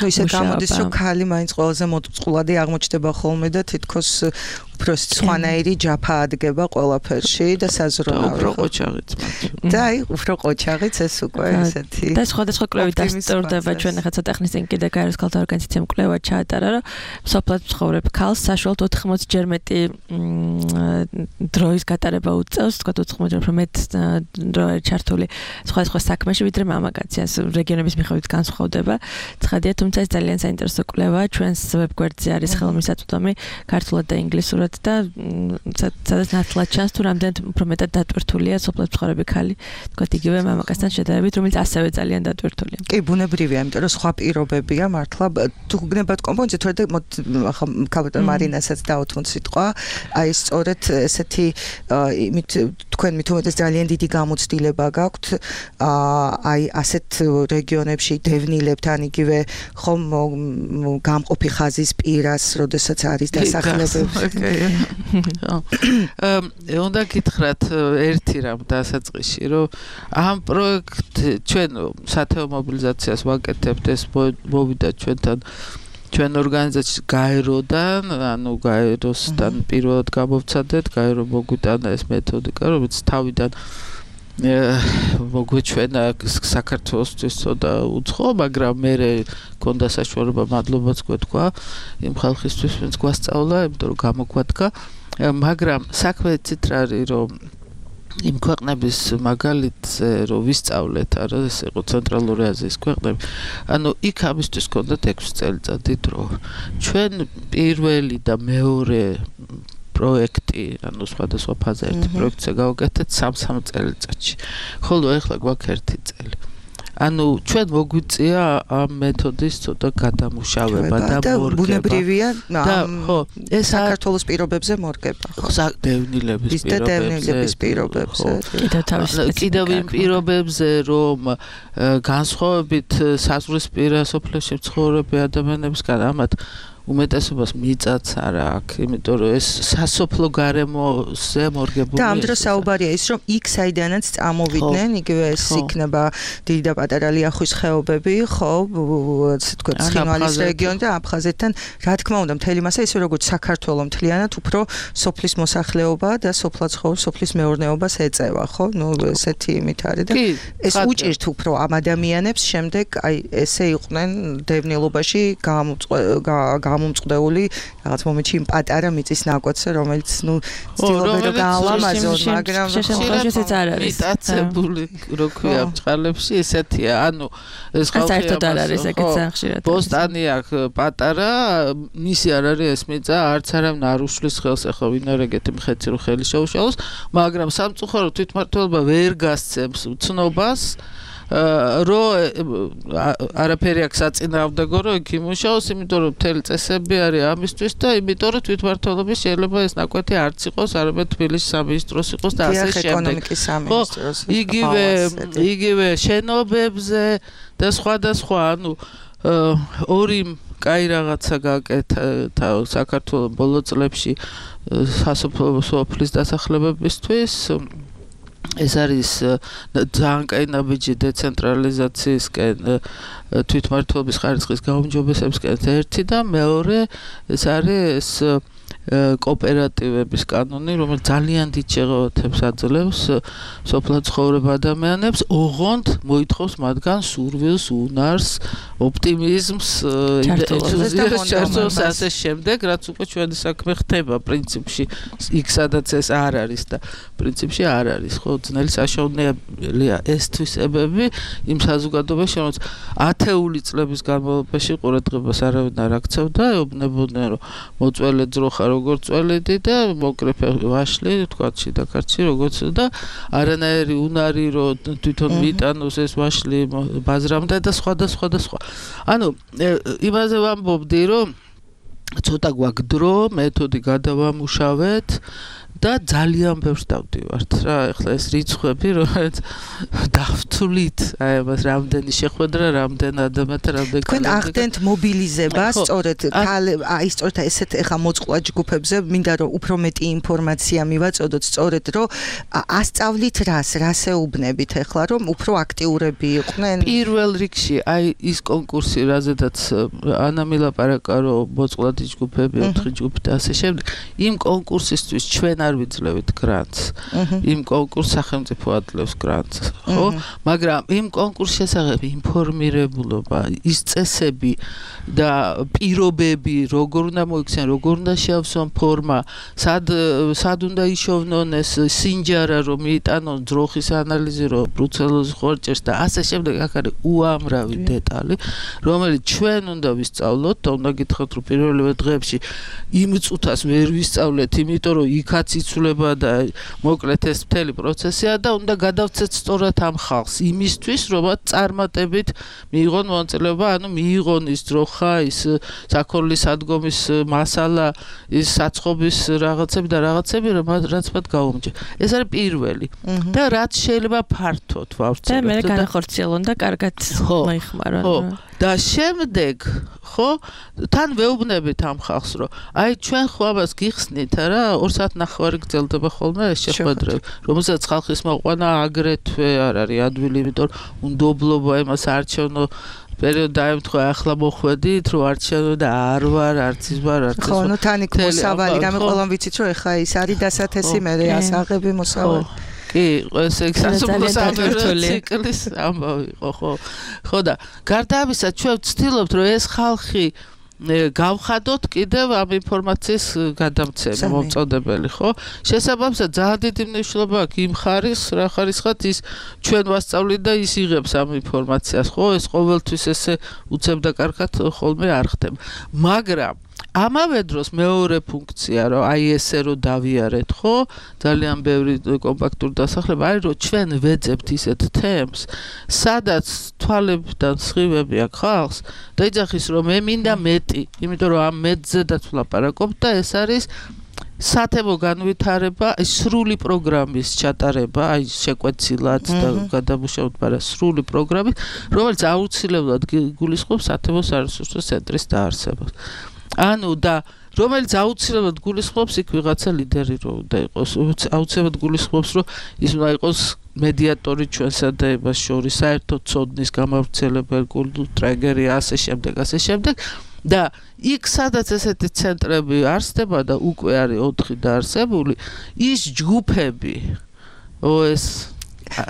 ნუ ისე გამოდის, რომ ქალი მაინც ყველაზე მოწყვლადი აღმოჩნდება ხოლმე და თითქოს უფრო სხვანაირი ჯაფა ადგება ყველაფერში და საზრუნავი. უფრო ყოჩაღიც. და აი, უფრო ყოჩაღიც ეს უკვე ესეთი. და სხვადასხვა კვლევით დასტურდება ჩვენ ახლა ცოტა ხნის წინ კიდე გაეროს ქალთა ორგანიზაციამ კვლევა ჩაატარა, რომ სოფლად მცხოვრებ ქალს საშუალოდ 80-ჯერ მეტი დროის გატარება უწევს, თქვა 80-ჯერ უფრო მეტ დრო არის ჩართული სხვადასხვა საქმეში, ვიდრე მამაკაცი. რეგიონების მიხედვით განსხვავდება. ცხადია, თუმცა ეს ძალიან საინტერესო კვლევაა. ჩვენს ვებგვერდზე არის ხელმისაწვდომი ქართულად და ინგლისურად და სადაც ნათლად ჩანს თუ რამდენად უფრო მეტად დატვირთულია სოფლად მცხოვრები ქალი, თქვა იგივე მამაკაცთან შედარებით, რომელიც ასევე ძალიან დატვირთულია. კი, ბუნებრივია, იმიტომ რომ სხვა პირობებია მართლა თუ გნებათ კომპონენტზე, თორე ახლა ქალბატონ მარინასაც დაუთმოთ სიტყვა, აი სწორედ ესეთი იმით თქვენ მithumetes ძალიან დიდი გამოცდილება გაქვთ აი ასეთ რეგიონებში დევნილებთან იგივე ხომ გამყოფი ხაზის პირას, როდესაც არის დასახლებები. უნდა გითხრათ ერთი რამ დასაწყისში, რომ ამ პროექტ ჩვენ სათეო მობილიზაციას ვაკეთებთ, ეს მოვიდა ჩვენთან ჩვენ ორგანიზაციის გაეროდან, ანუ გაეროსთან პირველად გამოვცადეთ, გაერო მოგვიტანა ეს მეთოდიკა, რომელიც თავიდან მოგვეჩვენა საქართველოსთვის ცოტა უცხო, მაგრამ მე მქონდა საშუალება მადლობაც გვეთქვა იმ ხალხისთვის, ვინც გვასწავლა, იმიტომ რომ გამოგვადგა, მაგრამ საქმე ცით რა არის, რომ იმ ქვეყნების მაგალითზე რომ ვისწავლეთ, არა ეს იყო ცენტრალური აზიის ქვეყნები, ანუ იქ ამისთვის ჰქონდათ 6 წელიწადი დრო. ჩვენ პირველი და მეორე პროექტი, ანუ სხვადასხვა ფაზა ერთი პროექტზე გავაკეთეთ 3 წელიწადში. ხოლო ეხლა გვაქვს 1 წელი. ანუ ჩვენ მოგვიწია ამ მეთოდის ცოტა გადამუშავება და მორგება. ბუნებრივია, ხო, ეს საქართველოს პირობებზე მორგება. ხო, დევნილების პირობებზე. კიდევ იმ პირობებზე, რომ განსხვავებით საზღვრისპირა სოფლებში მცხოვრები ადამიანებისგან ამათ უმეტესობას მიწაც არა აქვს, იმიტომ რომ ეს სასოფლო გარემოზე მორგებული. და ამ დროს საუბარია ის, რომ იქ საიდანაც წამოვიდნენ, იგივე ეს იქნება დიდი და პატარა ლიახვის ხეობები, ხო, ასე თქვა, ცხინვალის რეგიონი და აფხაზეთთან, რა თქმა უნდა, მთელი მასა ისე როგორც საქართველოს მთლიანად უფრო სოფლის მოსახლეობა და სოფლის მეურნეობას ეწევა, ხო? ნუ ესეთი იმით არის და ეს უჭირთ უფრო ამ ადამიანებს შემდეგ აი ესე იყვნენ დევნილობაში გამომწყდეული რაღაც მომენტში იმ პატარა მიწის ნაკვეთზე, რომელიც ნუ ცდილობენ რომ გაალამაზონ, მაგრამ შემთხვევაში ეს არ არის. მიტაცებული რო ქვია ბჭყალებში ესეთია, ანუ ეს საერთოდ არ არის ეგეც ხშირად. ბოსტანი აქვს პატარა, მისი არ არის ეს მიწა, არც არავინ არ უშლის ხელს, ახლა ვინ არ ეგეთი მხეცი რო ხელი შეუშალოს, მაგრამ სამწუხაროდ თვითმმართველობა ვერ გასცემს ცნობას რო არაფერი აქვს საწინააღმდეგო რომ იქ იმუშაოს, იმიტომ რომ მთელი წესები არის ამისთვის და იმიტომ რომ თვითმმართველობის შეიძლება ეს ნაკვეთი არც იყოს, არამედ თბილისის სამინისტროს იყოს და ასე შემდეგ. ეკონომიკის სამინისტროს. იგივე შენობებზე და სხვა, ანუ ორი კაი რაღაცა გაკეთა საქართველოს ბოლო წლებში სასოფლო სოფლის დასახლებებისთვის. ეს არის ძალიან კაი ნაბიჯი დეცენტრალიზაციისკენ თვითმმართველობის ხარისხის გაუმჯობესებისკენ ერთი და მეორე ეს არის კოოპერატივების კანონი, რომელიც ძალიან დიდ შეღავათებს აძლევს სოფლად ცხოვრებ ადამიანებს, ოღონდ მოითხოვს მათგან სურვილს, უნარს, ოპტიმიზმს, ჩართულობას ასე შემდეგ, რაც უკვე ჩვენი საქმე ხდება პრინციპში, იქ სადაც ეს არ არის და პრინციპში არ არის, ხო, ძნელი საშუალებაა ეს თვისებები იმ საზოგადოებაში, რომელიც ათეული წლების განმავლობაში ყურადღებას არავინ არ აქცევდა, ეუბნებოდნენ, რომ მოწველი ძროხა როგორც წველედი და მოკრეფე ვაშლი, თქვა შიდაქარცი როგორც და არანაირი უნარი რომ თვითონ მიიტანოს ეს ვაშლი ბაზრამდე და სხვა. ანუ იმაზე ვამბობდი რომ ცოტა გვაქვს დრო, მეთოდი გადავამუშავეთ და ძალიან ბევრს დავდივართ რა, ეხლა ეს რიცხვები რომელიც დავთვლით, აი ამას რამდენი შეხვედრა, რამდენ ადამიანთან, რამდენ თქვენ ახდენთ მობილიზებას, სწორედ აი სწორედ ესეთ ეხლა მოწყვლად ჯგუფებზე მინდა რომ უფრო მეტი ინფორმაცია მივაწოდოთ, სწორედ რომ ასწავლით რას ეუბნებით ეხლა რომ უფრო აქტიურები იყვნენ. პირველ რიგში აი ის კონკურსი, რაზედაც ანა მილაპარაკა რომ მოწყვლადი ჯგუფები, 4 ჯგუფი და ასე შემდეგ, იმ კონკურსისთვის ჩვენ არ ვიძლევით გრანტს. იმ კონკურს სახელმწიფო ადლევს გრანტს, ხო? მაგრამ იმ კონკურსის შესახებ ინფორმირებულობა, ის წესები და პირობები, როგორ უნდა მოიქცნენ, როგორ უნდა შეავსონ ფორმა, სად უნდა იშოვნონ ეს სინჯარა, რომ მიიტანონ ძროხის ანალიზი, რომ ბრუცელოზი ხორჭერს და ასე შემდეგ, აქ არის უამრავი დეტალი, რომელიც ჩვენ უნდა ვისწავლოთ და უნდა გითხრათ, რომ პირველივე დღეებში იმ წუთას ვერ ვისწავლეთ, იმიტომ რომ იქაც იცვლება და მოკლედ ეს მთელი პროცესია და უნდა გადავცეთ სწორად ამ ხალხს იმისთვის, რომ წარმატებით მიიღონ მონაწილეობა, ანუ მიიღონ ის ძროხა, ის საქონლის სადგომის მასალა, ის საცხობის რაღაცები და რაღაცები, რაც მათ გაუმჯერა. ეს არის პირველი. და რაც შეიძლება ფართოდ ვავრცელოთ. და მე განახორციელონ და კარგად მოიხმარონ. ხო. და შემდეგ, ხო, თან ვეუბნებით ამ ხალხს, რომ აი ჩვენ ხო ამას გიხსნით რა, 2 საათნახევარი გრძელდება ხოლმე ეს შეხვედრები, რომელსაც ხალხის მოყვანა აგრეთვე არ არის ადვილი, იმიტომ რომ უნდობლობა იმას არჩევნო პერიოდ დაემთხვა, ახლა მოხვედით, რომ არჩევნო და არ ვარ, არც ის ვარ, არც ის. ხო, ნუ თან იქ მოსავალი, გამე ყველამ ვიცით, რომ ეხლა ის არის დასათესი, მე ასაღები მოსავალი. კი, ეს სასოფლო სამართლის ციკლის ამბავი იყო, ხო. ხო და გარდა ამისა, ჩვენ ვცდილობთ, რომ ეს ხალხი გავხადოთ კიდევ ამ ინფორმაციის გადამცემი მომწოდებელი, ხო? შესაბამისად, ძალიან დიდი მნიშვნელობა აქვს იმ ხარისხს, რა ხარისხად ის ჩვენ ვასწავლით და ის იღებს ამ ინფორმაციას, ხო? ეს ყოველთვის ესე უცებ და კარგად ხოლმე არ ხდება. მაგრამ ამავე დროს მეორე ფუნქცია, რომ აი ესე რომ დავიარეთ, ხო? ძალიან ბევრი კომპაქტური დასახლება არის, რომ ჩვენ ვეძებთ ისეთ თემს, სადაც თვალებიდან სხივები აქვს ხალხს და იძახის, რომ მე მინდა მეტი, იმიტომ რომ ამ მეტზედაც ვლაპარაკობ და ეს არის სათემო განვითარება, სრული პროგრამის ჩატარება, აი შეკვეცილად და გადამუშავებად, მაგრამ სრული პროგრამის, რომელიც აუცილებლად გულისხმობს სათემო სარესურსო ცენტრის დაარსებას. ანუ და რომელიც აუცილებლად გულისხმობს იქ ვიღაცა ლიდერი რო უნდა იყოს აუცილებლად გულისხმობს რომ ის უნდა იყოს მედიატორი ჩვენსა და ებას შორის საერთო ცოდნის გამავრცელებელი ტრეგერი ასე შემდეგ და იქ სადაც ესეთი ცენტრები არსდება და უკვე არის 4 დაარსებული ის ჯგუფები OS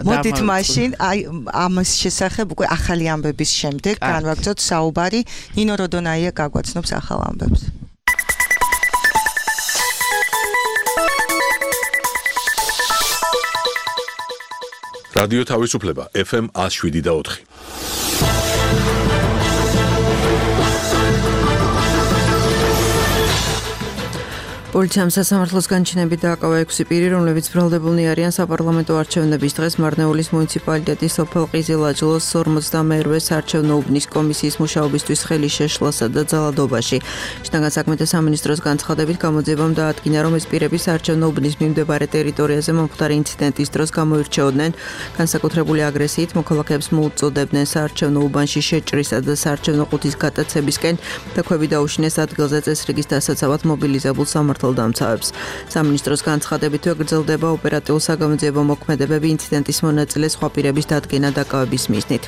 მოდით მაშინ აი ამის შესახებ უკვე ახალი ამბების შემდეგ განვაგრძოთ საუბარი ნინო როდონაია გაგვაცნობს ახალ ამბებს რადიო თავისუფლება FM 107.4 პოლიციამ სასამართლოს განჩინებით დააკავა 6 პირი, რომლებიც ბრალდებულნი არიან საპარლამენტო არჩევნების დღეს მარნეულის მუნიციპალიტეტის სოფელ ყიზილაჯლოს 58-ე საარჩევნო უბნის კომისიის მუშაობისთვის ხელის შეშლასა და ძალადობაში. შინაგან საქმეთა სამინისტროს განცხადებით გამოძიებამ დაადგინა, რომ ეს პირები საარჩევნო უბნის მიმდებარე ტერიტორიაზე მომხდარი ინციდენტის დროს გამოირჩეოდნენ განსაკუთრებული აგრესიით, მოქალაქეებს მოუწოდებდნენ საარჩევნო უბანში შეჭრისა და საარჩევნო ყუთის გატაცებისკენ და ქვები დაუშინეს ადგილზე წესრიგის დასაცავად მობილიზებულ დამცავებს. სამინისტროს განცხადებით გრძელდება ოპერატიულ-საგამოძიებო მოქმედებები ინციდენტის მონაწილე სხვა პირების დადგენა დაკავების მიზნით.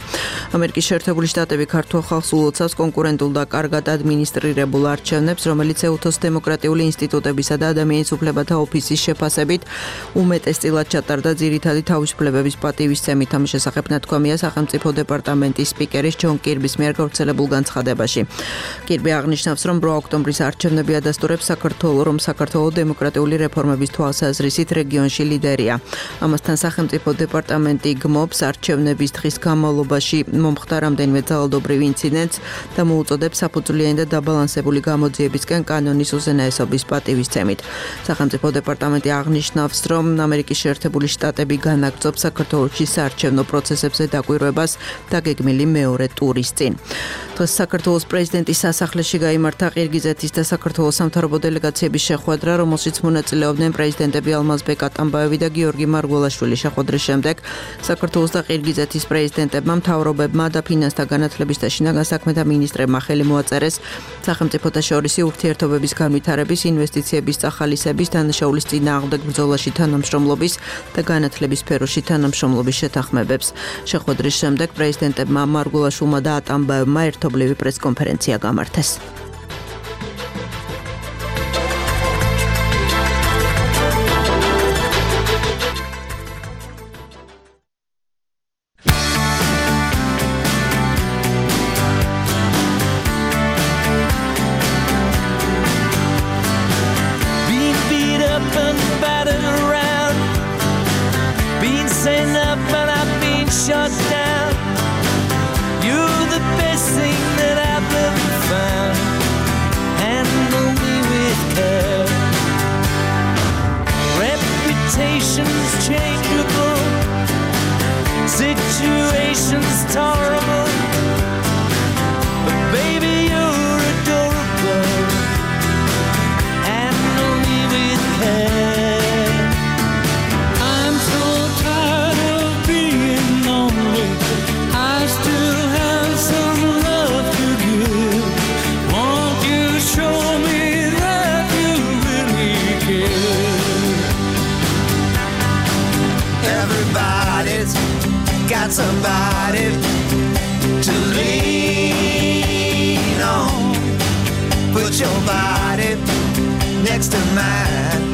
ამერიკის შეერთებული შტატები ქართულ ხალხს ულოცავს კონკურენტულ და კარგად ადმინისტრირებულ არჩევნებს, რომელიც ეუთოს დემოკრატიული ინსტიტუტებისა და ადამიანის უფლებათა ოფისის შეფასებით უმეტესწილად ჩატარდა ძირითადი თავისუფლებების პატივისცემით. ამ შესახებ ნათქვამია სახელმწიფო დეპარტამენტის სპიკერის ჯონ კირბის მიერ გავრცელებულ განცხადებაში. კირბი აღნიშნავს, რომ 8 ოქტომბრის არჩევნები ადასტურებს საქართველოს რომ საქართველოს დემოკრატიული რეფორმების თვალსაზრისით რეგიონში ლიდერია. ამასთან სახელმწიფო დეპარტამენტი გმობს არჩევნების დღის განმავლობაში მომხდარ რამდენიმე ძალადობრივ ინციდენტს და მოუწოდებს საფუძვლიანი და დაბალანსებული გამოძიებისკენ კანონის უზენაესობის პატივისცემით. სახელმწიფო დეპარტამენტი აღნიშნავს, რომ ამერიკის შეერთებული შტატები განაგრძობს საქართველოში საარჩევნო პროცესებზე დაკვირვებას დაგეგმილი მეორე ტურის წინ. დღეს საქართველოს პრეზიდენტის სასახლეში გაიმართა ყირგიზეთის და საქართველოს სამთავრობო დელეგაციების შეხვედრა, რომელშიც მონაწილეობდნენ პრეზიდენტები ალმაზბეკ ატამბაევი და გიორგი მარგველაშვილი. შეხვედრის შემდეგ საქართველოს და ყირგიზეთის პრეზიდენტებმა, მთავრობებმა და ფინანსთა განათლების და შინაგან საქმეთა მინისტრებმა ხელი მოაწერეს სახელმწიფოთა შორისი ურთიერთობების განვითარების, ინვესტიციების წახალისების, დანაშაულის წინააღმდეგ ბრძოლაში თანამშრომლობის და განათლების სფეროში თანამშრომლობის შეთანხმებებს. შეხვედრის შემდეგ პრეზიდენტებმა მარგველაშვილმა და ატამბაევმა ერთობლივი პრესკონფერენცია გამართეს. Somebody to lean on. Put your body next to mine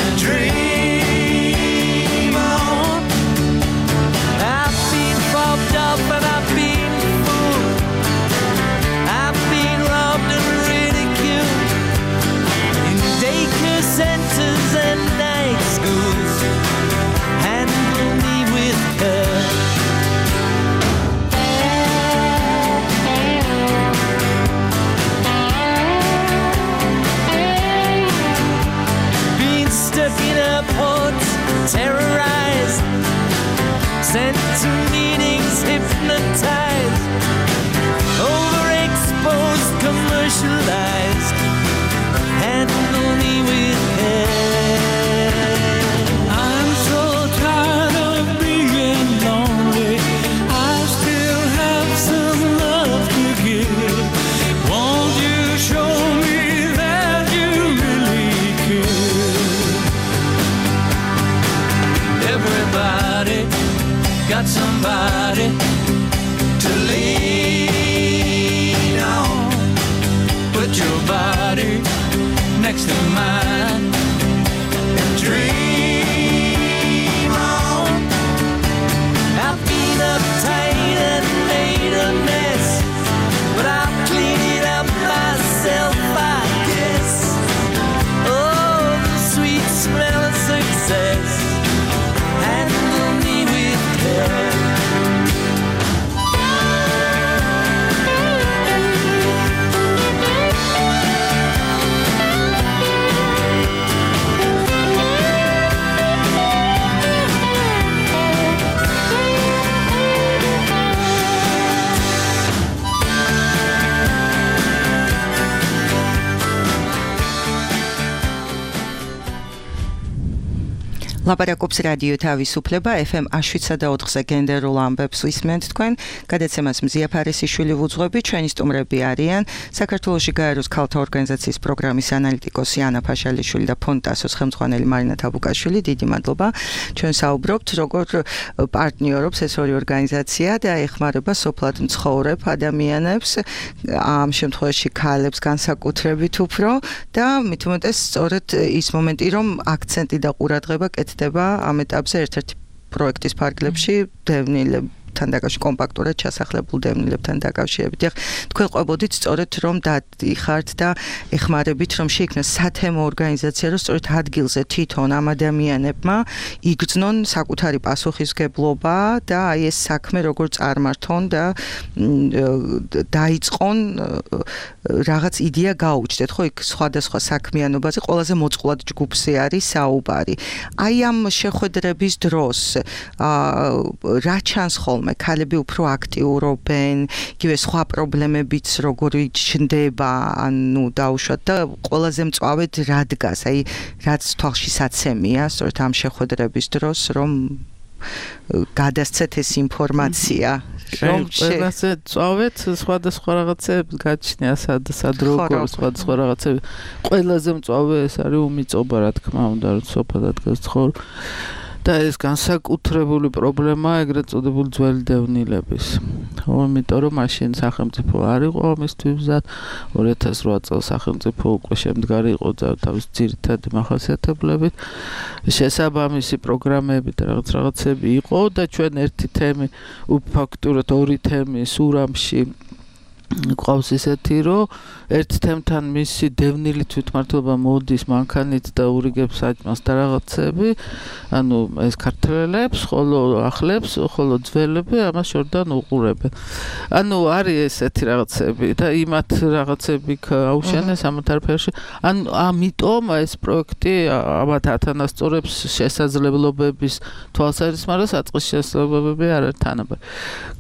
and dream on. I've been fucked up and I've been fooled. I've been robbed and ridiculed in daycare centers and night schools. Handle me with care. Terrorized, sent to meetings, hypnotized, overexposed, commercialized, handle me with care. I'm so tired of being lonely, I still have some love to give. Won't you show says, handle me with care. ლაპარაკობს რადიო თავისუფლება FM 7.4-ზე გენდერულ ამბებს ვისმენთ თქვენ. გადაცემას მზია ფარესიშვილი ვუძღვები, ჩვენი სტუმრები არიან საქართველოში გაეროს ქალთა ორგანიზაციის პროგრამის ანალიტიკოსი ანა ფაშალიშვილი და ფონტასოს ხელმძღვანელი მარინა თაბუკაშვილი. დიდი მადლობა. ჩვენ საუბრობთ როგორ პარტნიორობს ეს ორი ორგანიზაცია და ეხმარება სოფლად მცხოვრებ ადამიანებს, ამ შემთხვევაში ქალებს განსაკუთრებით უფრო და მით უმეტეს სწორედ ის მომენტი რომ აქცენტი და ყურადღება კეთდება ამ ეტაპზე ერთ-ერთი პროექტის ფარგლებში დევნილებთან დაკავშირებით, კომპაქტურად ჩასახლებულ დევნილებთან დაკავშირებით. თქვენ ყვებოდით სწორედ რომ დადიხართ და ეხმარებით რომ შეიქმნას სათემო ორგანიზაცია, რომ სწორედ ადგილზე თვითონ ამ ადამიანებმა იგრძნონ საკუთარი პასუხისგებლობა და აი ეს საქმე როგორ წარმართონ და დაიწყონ რაღაც იდეა გაუჩნდეთ, ხო, იქ სხვადასხვა საქმიანობაზე ყველაზე მოწყვლად ჯგუფზე არის საუბარი. აი ამ შეხვედრების დროს რა ჩანს ხოლმე, ქალები უფრო აქტიურობენ, იგივე სხვა პრობლემებიც როგორი ჩნდება, ანუ დაუშვათ და ყველაზე მწვავედ რა დგას, აი რაც თვალში საცემია, სწორედ ამ შეხვედრების დროს, რომ გადასცეთ ეს ინფორმაცია. ყველაზე წავეთ სხვადასხვა რაღაცებს გაჩნია სად როგორ სხვადასხვა რაღაცები ყველაზე მწავე ეს არის უმიწობა რა თქმა უნდა რომ სოფლად გასცხოვ და ეს განსაკუთრებული პრობლემაა ეგრეთ წოდებული ძველი დევნილების. იმიტომ რომ მაშინ სახელმწიფო არ იყო ამისთვის მზად 2008 წელს სახელმწიფო უკვე შემდგარი იყო თავის ძირითადი მახასიათებლებით შესაბამისი პროგრამები და რაღაცები იყო და ჩვენ ერთი თემი ფაქტურად ორი თემი სურამში ყავს ისეთი რომ ერთ თემთან მისი დევნილი თვითმმართველობა მოდის მანქანით და ურიგებს საჭმელს და რაღაცები ანუ ეს ქართველებს ხოლო ახლებს ხოლო ძველები ამას შორდან უყურებენ ანუ არის ესეთი რაღაცები და იმათ რაღაცები აუშენეს ამათ არაფერში ანუ ამიტომ ეს პროექტი ამათ ათანასწორებს შესაძლებლობების თვალსაზრისით საწყის შესაძლებლობები არ არის თანაბარი.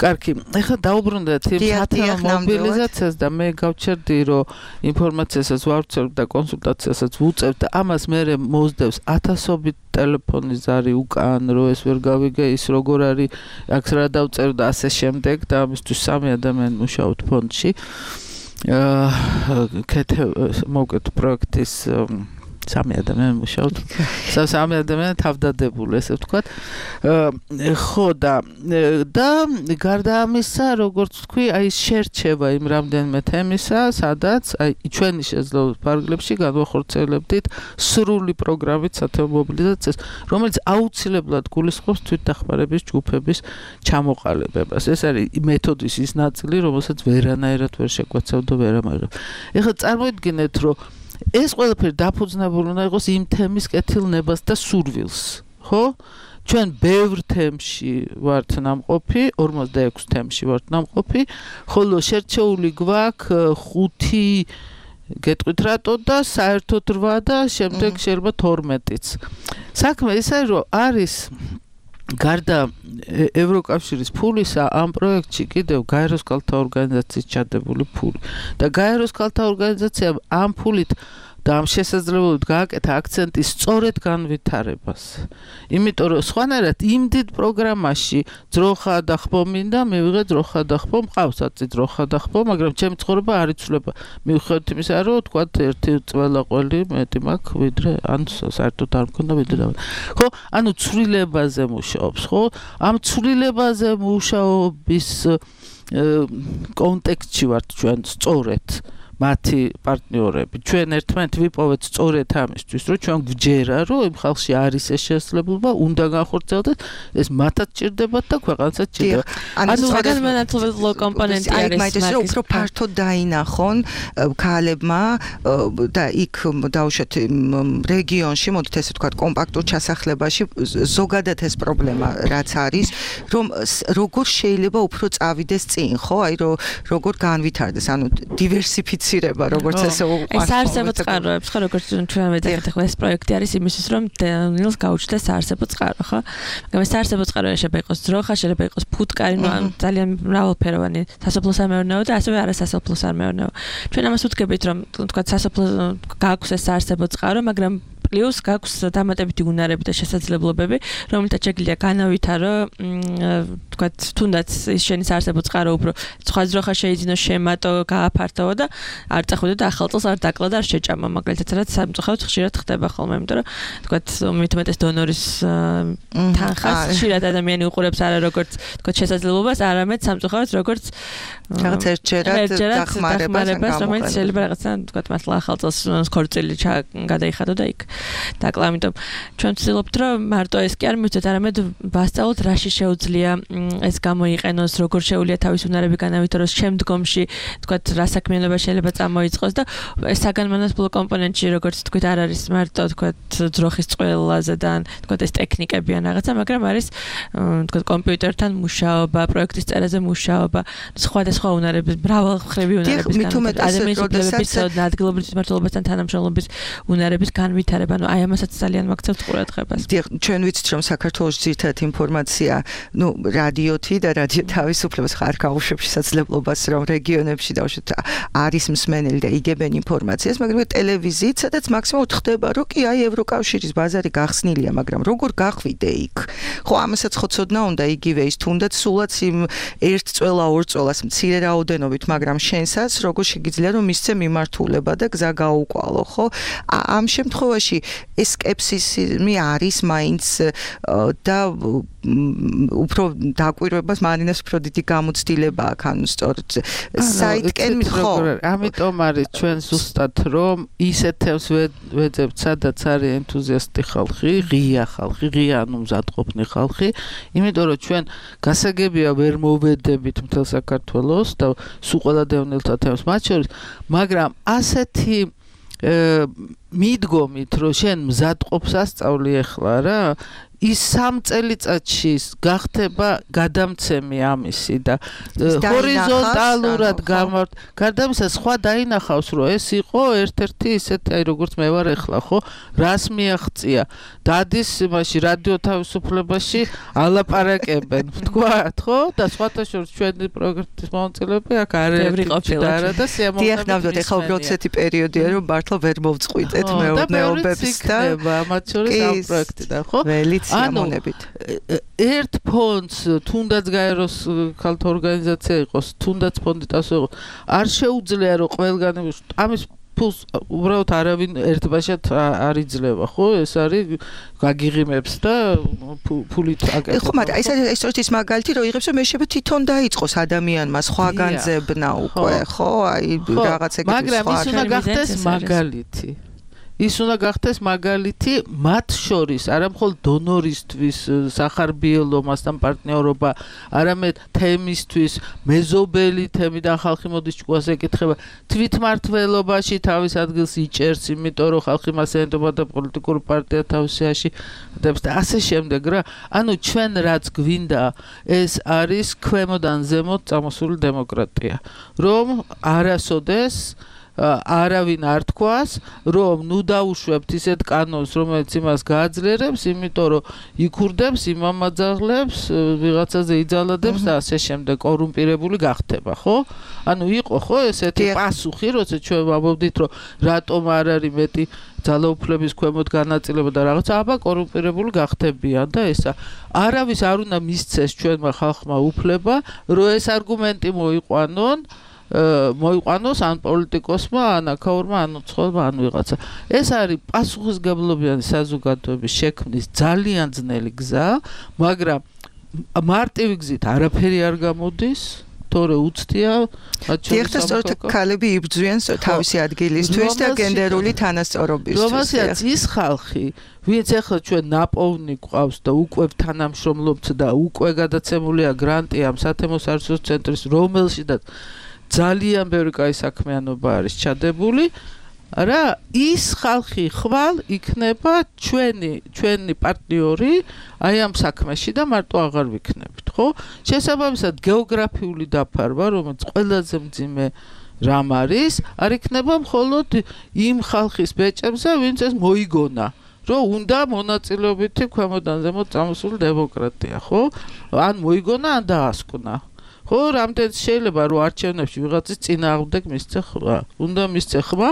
კარგი, ეხლა დაუბრუნდეთ იმ სათემო მობილიზაციას და მე გავჩერდი რომ ინფორმაციასაც ვავრცელებ და კონსულტაციასაც ვუწევ და ამას მე მოსდევს ათასობით ტელეფონის ზარი უკან რომ ეს ვერ გავიგე ის როგორ არის აქ რა დავწერ და ასე შემდეგ და ამისთვის სამი ადამიანი მუშაობთ ფონდში მოვკეთ პროექტის სამი ადამიანი მუშაობთ სამი ადამიანი თავდადებული ესე ვთქვათ ხო და გარდა ამისა როგორც ვთქვი აი შერჩევა იმ რამდენიმე თემისა სადაც აი ჩვენი შეძლო ფარგლებში განვახორციელებდით სრული პროგრამით სათემო მობილიზაციას რომელიც აუცილებლად გულისხმობს თვითდახმარების ჯგუფების ჩამოყალიბებას ეს არის მეთოდის ის ნაწილი რომელსაც ვერანაირად ვერ შეგვეცევ და ვერამაირად ეხლა წარმოიდგინეთ რომ ეს ყველაფერი დაფუძნებული უნდა იყოს იმ თემის კეთილნებას და სურვილს, ხო? ჩვენ ბევრ თემში ვართ ნამყოფი, 46 თემში ვართ ნამყოფი, ხოლო შერჩეული გვაქვს 5 გეტყვით რატო და საერთოდ 8 და შემდეგ შეიძლება 12-იც. საქმე ის არის, რომ არის გარდა ევროკავშირის ფულისა ამ პროექტში კიდევ გაეროს ქალთა ორგანიზაციის ჩადებული ფული და გაეროს ქალთა ორგანიზაციამ ამ ფულით და ამ შესაძლებლობით გააკეთა აქცენტი სწორედ განვითარებას. იმიტომ რომ სხვანაირად იმ დიდ პროგრამაში ძროხა და ხბო მინდა, მივიღე ძროხა და ხბო, მყავს აწი ძროხა და ხბო, მაგრამ ჩემი ცხოვრება არ იცვლება. მიუხედავად იმისა, რომ თქვათ ერთი წველაყველი მეტი მაქვს, ვიდრე ან საერთოდ არ მქონდა ვიდრე და. ხო, ანუ ცვლილებაზე მუშაობს, ხო? ამ ცვლილებაზე მუშაობის კონტექსტში ვართ ჩვენ სწორედ. მათი პარტნიორები. ჩვენ ერთმანეთ ვიპოვეთ სწორედ ამისთვის, რომ ჩვენ გვჯერა, რომ იმ ხალხში არის ეს შესაძლებლობა, უნდა განხორციელდეს, ეს მათაც ჭირდებათ და ქვეყანსაც ჭირდებათ. ანუ საგანმანათლებლო კომპონენტი არის მაგის უფრო ფართოდ დაინახონ ქალებმა და იქ დავუშვათ რეგიონში, მოდით ესე ვთქვათ, კომპაქტურ ჩასახლებაში ზოგადად ეს პრობლემა რაც არის, რომ როგორ შეიძლება უფრო წავიდეს წინ, ხო? აი როგორ განვითარდეს, ანუ დივერსიფიცირება, როგორც ესე ეს საარსებო წყაროებს, ხო, როგორც ჩვენ ვეძახით, ახლა ეს პროექტი არის იმისთვის, რომ ნილს გაუჩნდეს საარსებო წყარო, ხო? მაგრამ საარსებო წყარო შეიძლება იყოს ძროხა, შეიძლება იყოს ფუტკარი, ნუ ძალიან მრავალფეროვანი სასოფლო-სამეურნეო და ასევე არასასოფლო-სამეურნეო. ჩვენ ამას ვუდგებით, რომ თქვათ სასოფლო გააქვს ეს საარსებო წყარო, მაგრამ პლუს გაქვს დამატებითი უნარები და შესაძლებლობები, რომელთაც შეგვიძლია განავითარო, თქვათ, თუნდაც ის შენი საარსებო წყარო უფრო სხვა ძროხა შეიძინო, შემატო, გააფართოვო და არ წახვიდო და ახალ წელს არ დაკლო და არ შეჭამო, მაგალითად, რაც სამწუხაროდ ხშირად ხდება ხოლმე, იმიტომ რომ თქვათ, მithumetes დონორის თანხას ხშირად ადამიანი უყურებს არა როგორც თქვათ შესაძლებლობას, არამედ სამწუხაროდ როგორც რაღაც ერთჯერად დახმარებას, რომელიც შეიძლება რაღაცა თქვათ, მართლა ახალ წელს ხორცელი გადაიხადო და იქ დაკლა, ამიტომ ჩვენ ვცდილობთ, რომ მარტო ეს კი არ მივცეთ, არამედ ვასწავლოთ, რაში შეუძლია ეს გამოიყენოს, როგორ შეუძლია თავის უნარები განავითაროს შემდგომში, თქვათ, რა საქმიანობა შეიძლება წამოიწყოს და ეს საგანმანათლებლო კომპონენტში, როგორც თქვით, არ არის მარტო, თქვათ, ძროხის წყვილაზე და თქვათ, ეს ტექნიკები ან რაღაცა, მაგრამ არის, თქვათ, კომპიუტერთან მუშაობა, პროექტის წერაზე მუშაობა, სხვადასხვა უნარების, მრავალმხრივი უნარების განვითარება, ადამიანის უფლებების და ადგილობრივ მმართველობასთან თანამშრომლობის უნარების განვითარება. ანუ აი ამასაც ძალიან მაგცევთ ყურადღებას. ჩვენ ვიცით, რომ საქართველოს ძირითადად ინფორმაცია, ნუ რადიოთი და რადიო თავისუფლებას ხარ გაუშვებს შესაძლებლობას, რომ რეგიონებში დავუშვათ არის მსმენელი და იგებენ ინფორმაციას, მაგრამ ტელევიზიით, სადაც მაქსიმუმ ხდება, რომ კი აი ევროკავშირის ბაზარი გახსნილია, მაგრამ როგორ გახვიდე იქ? ხო, ამასაც ხო ცოდნა უნდა იგივე ის თუნდაც სულაც იმ ერთ წველა ორ წველას მცირე რაოდენობით, მაგრამ შენსაც როგორ შეგიძლია რომ მისცე მიმართულება და გზა გაუკვალო, ხო? ამ შემთხვევაში ეს სკეპსისი არის მაინც და უფრო დაკვირვებას მარინას უფრო დიდი გამოცდილება აქვს, ანუ სწორედ საიტკენ ხო, ამიტომ არის ჩვენ ზუსტად რომ ისეთ თემს ვეძებთ, სადაც არის ენთუზიასტი ხალხი, ღია ხალხი, ღია ანუ მზადყოფნი ხალხი, იმიტომ რომ ჩვენ გასაგებია ვერ მოვედებით მთელ საქართველოს და სულ ყველა დევნილთა თემს მათ შორის, მაგრამ ასეთი მიდგომით, რომ შენ მზადყოფს ასწავლი ახლა რა, ის 3 წელიწადში გახდება გადამცემი ამისი და ჰორიზონტალურად გარდა ამისა სხვა დაინახავს, რომ ეს იყო ერთ-ერთი ისეთი, აი როგორც მე ვარ ახლა, ხო, რას მიაღწია. დადის იმაში რადიო თავისუფლებაში ალაპარაკებენ, ვთქვათ, ხო? და სხვათა შორის ჩვენი პროექტის მონაწილეები აქ არაფერი ყოფილა და სიამოვნებით. დიახ, ნამდვილად, ეხლა უბრალოდ ესეთი პერიოდია, რომ მართლა ვერ მოვწყვიტეთ მეურნეობებს და მათ შორის ამ პროექტიდან, ხო? სიამოვნებით. ერთ ფონდს თუნდაც გაეროს ქალთა ორგანიზაცია იყოს, თუნდაც ფონდი ტასო იყოს, არ შეუძლია რომ ყველგან ამის ფულს უბრალოდ არავინ ერთბაშად არ იძლევა, ხო? ეს არის გაგიღიმებს და ფულით აკეთებს. ხო, მაგრამ ეს ის მაგალითი რომ იღებს, რომ მე შეიძლება თვითონ დაიწყოს ადამიანმა სხვაგან ზებნა უკვე, ხო? აი რაღაც ეგეთი სხვა. მაგრამ ის უნდა გახდეს მაგალითი. ის უნდა გახდეს მაგალითი მათ შორის, არა მხოლოდ დონორისთვის, სახარბიელომასთან პარტნიორობა, არამედ თემისთვის, მეზობელი თემი და ხალხი მოდის ჭკუას ეკითხება, თვითმმართველობაში თავის ადგილს იჭერს, იმიტომ რომ ხალხი მას ენდობა და პოლიტიკური პარტია თავისიაში დებს და ასე შემდეგ რა. ანუ ჩვენ რაც გვინდა, ეს არის ქვემოდან ზემოთ წამოსული დემოკრატია, რომ არასოდეს არავინ არ თქვას, რომ ნუ დაუშვებთ ისეთ კანონს, რომელიც იმას გააძლიერებს, იმიტომ რომ იქურდებს, იმამაძაღლებს, ვიღაცაზე იძალადებს და ასე შემდეგ კორუმპირებული გახდება, ხო? ანუ იყო ხო ესეთი პასუხი, როცა ჩვენ ვამბობდით, რომ რატომ არ არის მეტი ძალაუფლების ქვემოთ განაწილება და რაღაცა, აბა კორუმპირებული გახდებიან და ესა. არავის არ უნდა მისცეს ჩვენმა ხალხმა უფლება, რომ ეს არგუმენტი მოიყვანოს ან პოლიტიკოსმა, ან აქაურმა, ან უცხოელმა, ან ვიღაცა. ეს არის პასუხისგებლობიანი საზოგადოების შექმნის ძალიან ძნელი გზა, მაგრამ მარტივი გზით არაფერი არ გამოდის თორე უცდია დიახ, და სწორედ ქალები იბრძვიან თავისი ადგილისთვის და გენდერული თანასწორობისთვის. რომელსაც ის ხალხი, ვინც ახლა ჩვენ ნაპოვნი გვყავს და უკვე თანამშრომლობთ და უკვე გადაცემულია გრანტი ამ სათემო საერთო ცენტრის, რომელშიც ძალიან ბევრი კაი საქმიანობა არის ჩადებული. რა ის ხალხი ხვალ იქნება ჩვენი პარტნიორი აი ამ საქმეში და მარტო აღარ ვიქნებით, ხო? შესაბამისად გეოგრაფიული დაფარვა, რომელიც ყველაზე მძიმე რამ არის, არ იქნება მხოლოდ იმ ხალხის ბეჭებზე, ვინც ეს მოიგონა. რომ უნდა მონაწილეობითი ქვემოდან ზემოთ წამოსული დემოკრატია, ხო? ან მოიგონა, ან დაასკვნა. ხო, რამდენიც შეიძლება რომ არჩევნებში ვიღაცის წინააღმდეგ მისცე ხმა. უნდა მისცე ხმა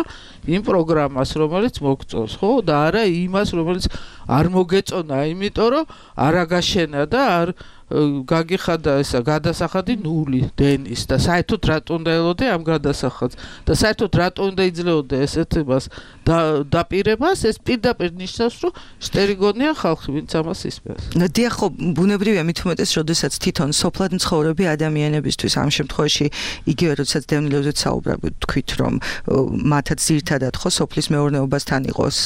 იმ პროგრამას, რომელიც მოგწონს, ხო? და არა იმას, რომელიც არ მოგეწონა, იმიტომ რომ არ აგაშენა და არ გაგიხადა ესა გადასახადი ნული დენის და საერთოდ რატო უნდა ელოდე ამ გადასახადს და საერთოდ რატო უნდა იძლეოდე ესეთ მას დაპირებას, ეს პირდაპირ ნიშნავს, რომ შტერიგონია ხალხი, ვინც ამას ისმენს. დიახ, ხო, ბუნებრივია მით უმეტეს, როდესაც თვითონ სოფლად მცხოვრები ადამიანებისთვის ამ შემთხვევაში იგივე როდესაც დევნილებზე საუბრობთ, თქვით, რომ მათაც ძირთადად ხო სოფლის მეურნეობასთან იყოს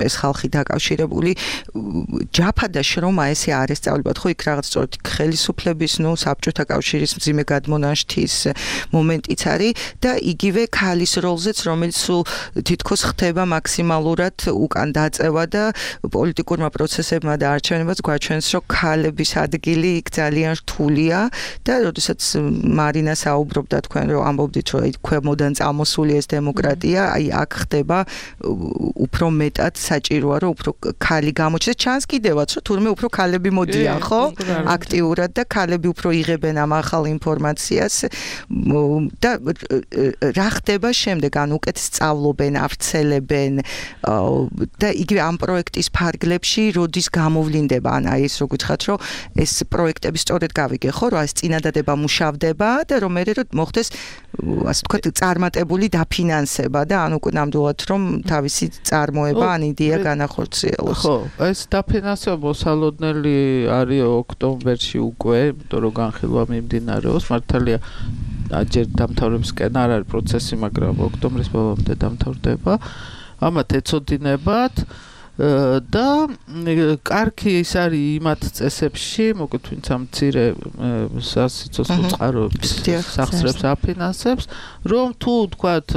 ეს ხალხი დაკავშირებული, ჯაფა და შრომა ესე არ ესწავლებათ, ხო, იქ რაღაც სწორედ ხელისუფლების, საბჭოთა კავშირის მძიმე გადმონაშთის მომენტიც არის და იგივე ქალის როლზეც, რომელიც თითქოს ხდება მაქსიმალურად უკან დაწევა და პოლიტიკურმა პროცესებმა და არჩევნებაც გვაჩვენს, რომ ქალების ადგილი იქ ძალიან რთულია და როდესაც მარინა საუბრობდა თქვენ რომ ამბობდით, რომ ქვემოდან წამოსული ეს დემოკრატია, აი აქ ხდება უფრო მეტად საჭიროა, რომ უფრო ქალი გამოჩნდეს, ჩანს კიდევაც, რომ თურმე უფრო ქალები მოდიან, ხო? აქტიურად და ქალები უფრო იღებენ ამ ახალ ინფორმაციას და რა ხდება შემდეგ, ან უკეთ სწავლობენ, ავრცელებენ და იგივე ამ პროექტის ფარგლებში როდის გამოვლინდება, ან აი ეს რო გითხრათ, რომ ეს პროექტები სწორედ გავიგე, ხო, რომ ეს წინადადება მუშავდება და რომ მე რომ მოხდეს ასე ვთქვათ წარმატებული დაფინანსება და ან უკვე ნამდვილად რომ თავისი წარმოება ან იდეა განახორციელოს. ხო, ეს დაფინანსება მოსალოდნელი არის ოქტომბერში უკვე, იმიტომ რომ განხილვა მიმდინარეობს, მართალია ჯერ დამთავრებისკენ არ არის პროცესი, მაგრამ ოქტომბრის ბოლომდე დამთავრდება. ამათ ეცოდინებათ და კარგი ის არის იმათ წესებში, მოკლედ ვინც ამ მცირე სასიცოცხლო წყაროების სახსრებს აფინანსებს, რომ თუ თქვათ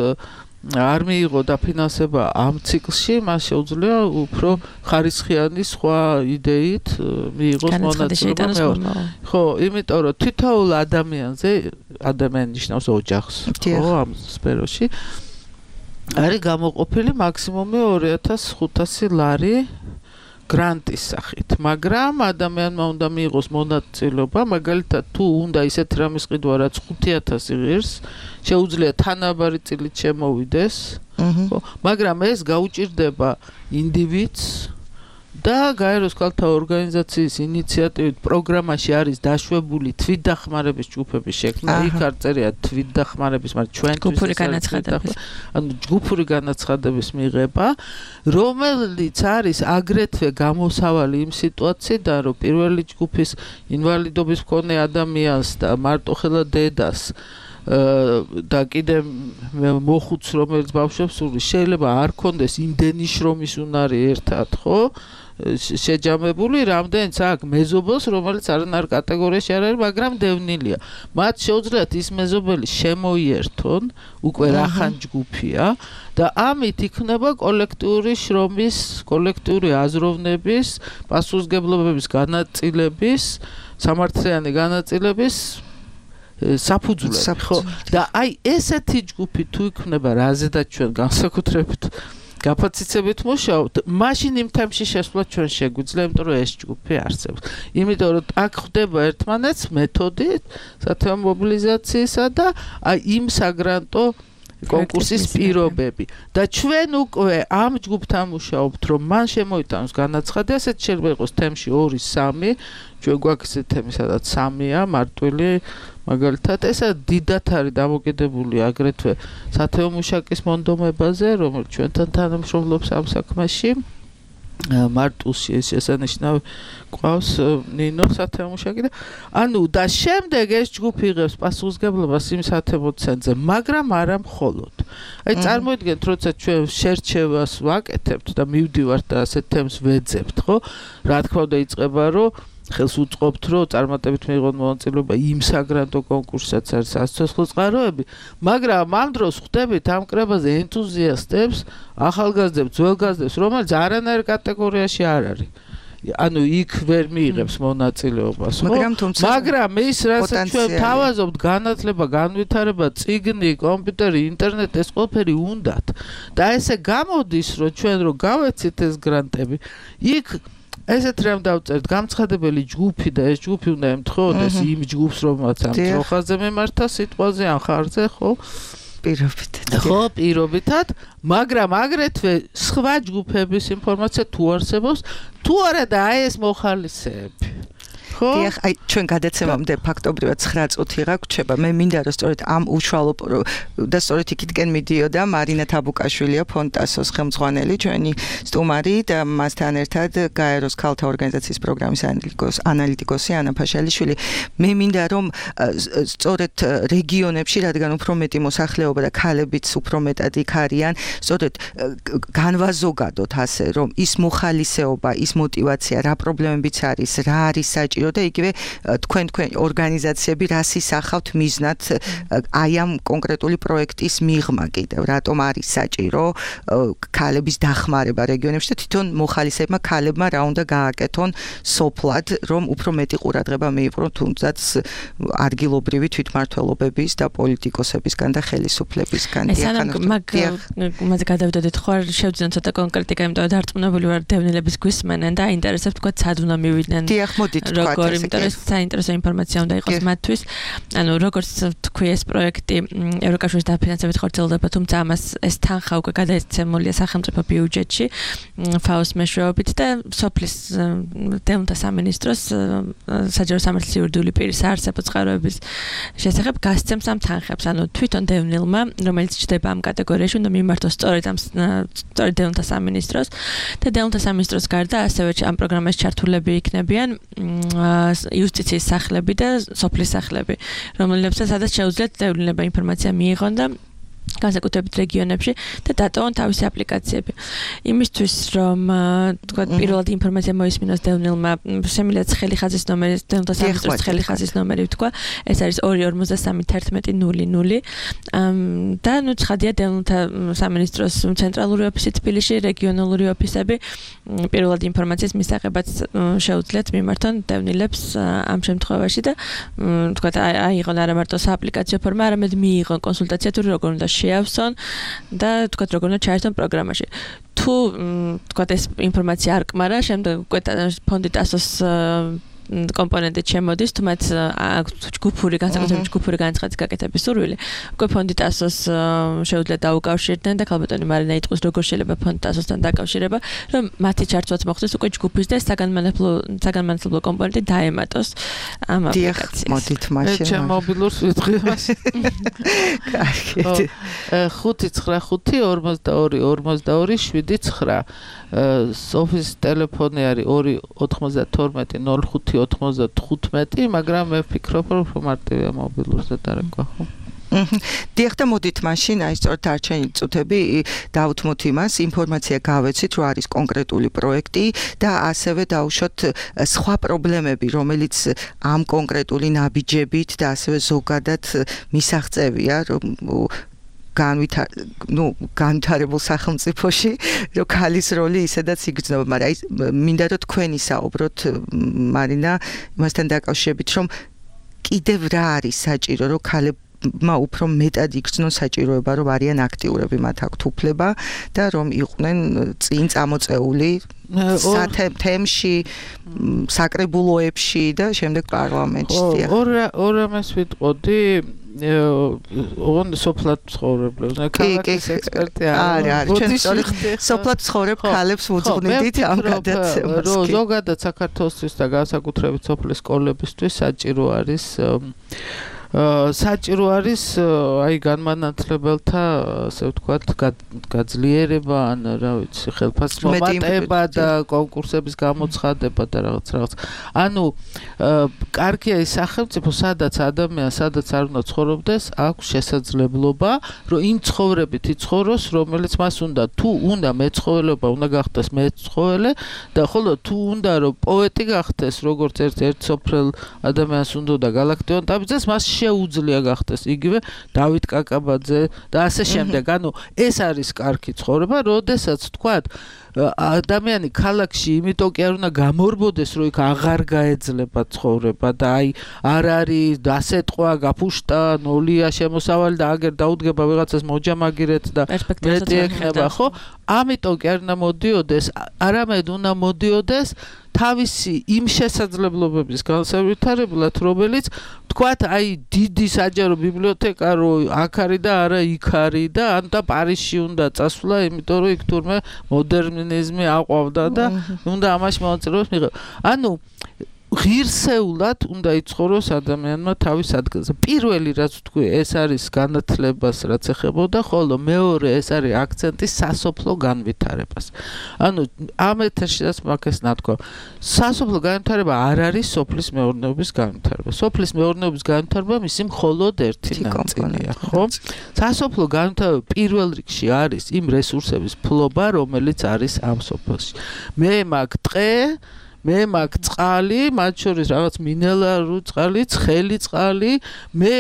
არ მიიღო დაფინანსება ამ ციკლში, მას შეუძლია უფრო ხარისხიანი სხვა იდეით მიიღოს მონაწილეობა. ხო, იმიტომ რომ თითოეულ ადამიანზე, ადამიანი ნიშნავს ოჯახს, ხო, ამ სფეროში არის გამოყოფილი მაქსიმუმი 2500 ლარი გრანტის სახით, მაგრამ ადამიანმა უნდა მიიღოს მონაწილეობა, მაგალითად თუ უნდა ისეთ რამის ყიდვა, რაც 5000 იღირს, შეუძლია თანაბარი წილით შემოვიდეს, მაგრამ ეს გაუჭირდება ინდივიდს და გაეროს ქალთა ორგანიზაციის ინიციატივით პროგრამაში არის დაშვებული თვითდახმარების ჯგუფების შექმნა, იქ არ წერია თვითდახმარების, მაგრამ ჩვენთვის ანუ ჯგუფური განაცხადების მიღება, რომელიც არის აგრეთვე გამოსავალი იმ სიტუაციიდან, რომ პირველი ჯგუფის ინვალიდობის მქონე ადამიანს და მარტოხელა დედას და კიდე მოხუც, რომელიც ბავშვებს სურს, შეიძლება არ კონდეს იმდენი შრომის უნარი ერთად, ხო? შეჯამებული, რამდენიც აქ მეზობელს, რომელიც არანაირ კატეგორიაში არ არის, მაგრამ დევნილია. მათ შეუძლიათ ის მეზობელი შემოიერთონ, უკვე რახან ჯგუფია და ამით იქნება კოლექტიური შრომის, კოლექტიური აზროვნების, პასუხისმგებლობების განაწილების, სამართლიანი განაწილების საფუძვლები, ხო? და აი ესეთი ჯგუფი თუ იქნება, რაზედაც ჩვენ განსაკუთრებით გაფაციცებით მუშაობთ, მაშინ იმ თემში შესვლა ჩვენ შეგვიძლია, იმიტომ რომ ეს ჯგუფი არსებობს. იმიტომ რომ აქ ხდება ერთმანეთს მეთოდით სათემო მობილიზაციისა და აი იმ საგრანტო კონკურსის პირობები და ჩვენ უკვე ამ ჯგუფთან მუშაობთ, რომ მან შემოიტანოს განაცხადი, ასეთ შეიძლება იყოს თემში 2-3, ჩვენ გვაქვს ესეთი თემი, სადაც 3-ია მარტვილი, მაგალითად, ესა დიდად არის დამოკიდებული აგრეთვე სათემო მუშაკის მონდომებაზე, რომელიც ჩვენთან თანამშრომლობს ამ საქმეში მარტუსი ეს შესანიშნავი ყავს ნინო სათემუშაკი და ანუ და შემდეგ ეს ჯგუფი იღებს პასუხისგებლობას იმ სათემო ცენტრზე, მაგრამ არა მხოლოდ. აი წარმოიდგინეთ, როცა ჩვენ შერჩევას ვაკეთებთ და მივდივართ და ასეთ თემს ვეძებთ, ხო? რა თქმა უნდა იწყება, რომ ხელს უწყობთ, რომ წარმატებით მიიღოთ მონაწილეობა იმ საგრანტო კონკურსსაც არის სასიცოცხლო წყაროები, მაგრამ ამ დროს ხვდებით ამ კრებაზე ენთუზიასტებს, ახალგაზრდებს, ძველგაზრდებს, რომელიც არანაირ კატეგორიაში არ არის. ანუ იქ ვერ მიიღებს მონაწილეობას, ხო? მაგრამ ის რასაც ჩვენ თავაზობთ, განათლება, განვითარება, წიგნი, კომპიუტერი, ინტერნეტი, ეს ყველაფერი უნდათ. და ესე გამოდის, რომ ჩვენ რო გავეცით ეს გრანტები, იქ ესეთ რამ დავწერთ, გამცხადებელი ჯგუფი და ეს ჯგუფი უნდა ემთხოვდეს იმ ჯგუფს, რომელსაც ამ ძროხაზე მემართა სიტყვაზე ან ხარზე, ხო? პირობითად, მაგრამ აგრეთვე სხვა ჯგუფების ინფორმაცია თუ არსებობს, თუ არა და აი ეს მოხალისეები. დიახ, აი ჩვენ გადაცემამდე ფაქტობრივად 9 წუთი გაგვჩება. მე მინდა რომ სწორედ ამ უშუალო და სწორედ იქითკენ მიდიოდა მარინა თაბუკაშვილია, ფონტასოს ხელმძღვანელი, ჩვენი სტუმარი და მასთან ერთად გაეროს ქალთა ორგანიზაციის პროგრამის ანალიტიკოსი ანა ფაშალიშვილი. მე მინდა რომ სწორედ რეგიონებში, რადგან უფრო მეტი მოსახლეობა და ქალებიც უფრო მეტად იქ არიან, სწორედ განვაზოგადოთ ასე, რომ ის მოხალისეობა, ის мотиваცია, რა პრობლემებიც არის, რა არის საჭირო და იგივე თქვენ ორგანიზაციები რას ისახავთ მიზნად აი ამ კონკრეტული პროექტის მიღმა კიდევ რატომ არის საჭირო ქალების დახმარება რეგიონებში და თვითონ მოხალისეებმა ქალებმა რა უნდა გააკეთონ სოფლად რომ უფრო მეტი ყურადღება მიიპყრონ თუნდაც ადგილობრივი თვითმმართველობების და პოლიტიკოსებისგან და ხელისუფლებისგან მაგ გადავდოდეთ ხო არ შევძინოთ ცოტა კონკრეტიკა იმიტომ რომ დარწმუნებული ვარ დევნილების გვისმენენ და აინტერესებთ თქვა სად უნდა მივიდნენ დიახ მოდით თქვა იმიტომ რომ საინტერესო ინფორმაცია უნდა იყოს მათთვის. ანუ როგორც თქვი ეს პროექტი ევროკავშირის დაფინანსებით ხორციელდება, თუმცა ამას ეს თანხა უკვე გადაეცემულია სახელმწიფო ბიუჯეტში ფაოს მეშვეობით და სოფლის დევნილთა სამინისტროს საჯარო სამართლის იურიდიული პირის არსებობის წყაროების შესახებ გასცემს ამ თანხებს. ანუ თვითონ დევნილმა, რომელიც ჩდება ამ კატეგორიაში, უნდა მიმართოს სწორედ დევნილთა სამინისტროს და დევნილთა სამინისტროს გარდა ასევე ამ პროგრამაში ჩართულები იქნებიან იუსტიციის სახლები და სოფლის სახლები, რომლებსაც სადაც შეუძლიათ დევნილება ინფორმაცია მიიღონ და განსაკუთრებით რეგიონებში და დატოვონ თავისი აპლიკაციები. იმისთვის რომ თქვა პირველად ინფორმაცია მოისმინოს დევნილმა, შემიძლია ცხელი ხაზის ნომერი, დევნილთა სამინისტროს ცხელი ხაზის ნომერი თქვა, ეს არის 2531100 და ნუ ცხადია დევნილთა სამინისტროს ცენტრალური ოფისი თბილისში, რეგიონალური ოფისები პირველად ინფორმაციის მისაღებად შეუძლიათ მიმართონ დევნილებს ამ შემთხვევაში და თქვა აიღონ არა მარტო სააპლიკაციო ფორმა, არამედ მიიღონ კონსულტაცია თუ როგორ უნდა შეავსონ და თქვა როგორ უნდა ჩაერთონ პროგრამაში. თუ თქვა ეს ინფორმაცია არ კმარა, შემდეგ უკვე ფონდი ტასოს კომპონენტი შემოდის, თუ მათ ჯგუფური განსაკუთრებული ჯგუფური განცხადის გაკეთების სურვილი, უკვე ფონდი ტასოს შეუძლიათ დაუკავშირდნენ და ქალბატონი მარინა იტყვის როგორ შეიძლება ფონდი ტასოსთან დაკავშირება, რომ მათი ჩართვაც მოხდეს უკვე ჯგუფის და საგანმანათლებლო კომპონენტი დაემატოს ამ აპლიკაციას. მოდით მაშინ. ჩემ მობილურს ვიტყვი მას. კარგი. 595-42-52-79 სოფის ტელეფონი არის 292-05-95, მაგრამ მე ვფიქრობ, რომ მარტივია მობილურზე დარეკვა, ხო? დიახ და მოდით მაშინ აი სწორედ არჩენი წუთები დავუთმოთ იმას, ინფორმაცია გავეცით, რომ არის კონკრეტული პროექტი და ასევე დავუშვათ სხვა პრობლემები, რომელიც ამ კონკრეტული ნაბიჯებით და ასევე ზოგადად მისაღწევია, რომ განვითარებულ სახელმწიფოში, რომ ქალის როლი ისედაც იგრძნობა, მაგრამ აი მინდა რომ თქვენი საუბროთ მარინა იმასთან დაკავშირებით, რომ კიდევ რა არის საჭირო, რომ ქალებმა უფრო მეტად იგრძნონ საჭიროება, რომ არიან აქტიურები, მათ აქვთ უფლება და რომ იყვნენ წინ წამოწეული თემში, საკრებულოებში და შემდეგ პარლამენტში. ორ ამას ვიტყოდი ოღონ სოფლად ცხოვრებლებს, ქალაქის ექსპერტი არა, ჩვენ სოფლად ცხოვრებ ქალებს ვუძღვნით ამ გადაცემას. ზოგადად საქართველოსთვის და განსაკუთრებით სოფლის სკოლებისთვის საჭირო არის საჭირო არის აი განმანათლებელთა ასე ვთქვათ გაძლიერება ან რა ვიცი ხელფასის მომატება და კონკურსების გამოცხადება და რაღაც ანუ კარგია ის სახელმწიფო სადაც ადამიანს სადაც არ უნდა ცხოვრობდეს აქვს შესაძლებლობა რომ იმ ცხოვრებით იცხოვროს რომელიც მას უნდა თუ უნდა მეცხოველება უნდა გახდეს მეცხოველე და ხოლო თუ უნდა რომ პოეტი გახდეს როგორც ერთ სოფელ ადამიანს უნდა და გალაქტიონ დაბიძეს მას შეუძლია გახდეს იგივე დავით კაკაბაძე და ასე შემდეგ ანუ ეს არის კარგი ცხოვრება როდესაც თქვათ ადამიანი ქალაქში იმიტომ კი არ უნდა გამორბოდეს რომ იქ აღარ გაეძლება ცხოვრება და აი არ არის დასეტყვა გაფუშტა ნოლია შემოსავალი და აგერ დაუდგება ვიღაცას მოჯამაგირეთ და მეტი ექნება ხო ამიტომ კი არ უნდა მოდიოდეს არამედ უნდა მოდიოდეს თავისი იმ შესაძლებლობების განსავითარებლად რომელიც თქვათ აი დიდი საჯარო ბიბლიოთეკა რო აქ არის და არა იქ არის და ან და პარიზში უნდა წასვლა იმიტომ რომ იქ თურმე მოდერნიზმი აყვავდა და უნდა ამაში მონაწილეობას მიიღო ანუ ღირსეულად უნდა იცხოვროს ადამიანმა თავის ადგილზე. პირველი რაც ვთქვი, ეს არის განათლებას რაც ეხებოდა, ხოლო მეორე ეს არის აქცენტი სასოფლო განვითარებას. ანუ ამ ეთერშიც მაგას ნათქვა. სასოფლო განვითარება არ არის სოფლის მეურნეობის განვითარება. სოფლის მეურნეობის განვითარება მისი მხოლოდ ერთი ნაწილია, ხო? სასოფლო განვითარება პირველ რიგში არის იმ რესურსების ფლობა, რომელიც არის ამ სოფელში. მე მაგ ტყე მე მაგ წყალი, მათ შორის რაღაც მინერალური წყალი, ცხელი წყალი, მე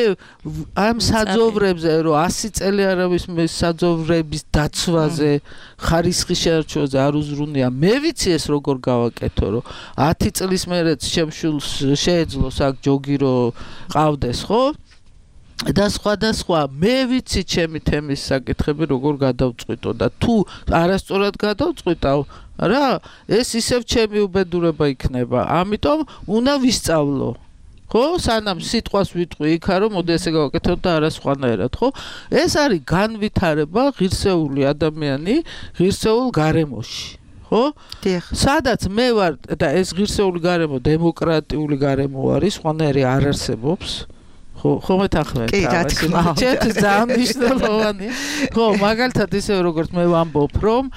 ამ საძოვრებზე, რომ 100 წელი არავის მე საძოვრების დაცვაზე, ხარისხის შერჩევაზე არ უზრუნია. მე ვიცი ეს როგორ გავაკეთო, რომ 10 წლის მერეც შემშულს შეეძლოს აქ ჯოგი რომ ყავდეს, ხო? და სხვა მე ვიცი ჩემი თემის საკითხები როგორ გადავწყვიტო და თუ არასწორად გადავწყვიტავ რა ეს ისევ ჩემი უბედურება იქნება ამიტომ უნდა ვისწავლო ხო სანამ სიტყვას ვიტყვი იქა რომ მოდი ესე გავაკეთო და არა სხვანაირად ხო ეს არის განვითარება ღირსეული ადამიანი ღირსეულ გარემოში ხო სადაც მე ვარ და ეს ღირსეული გარემო დემოკრატიული გარემო არის სხვანაირი არ არსებობს ხო მეთანხმებით ჩემთვის ძალიან მნიშვნელოვანია ხო მაგალითად ისე როგორც მე ვამბობ რომ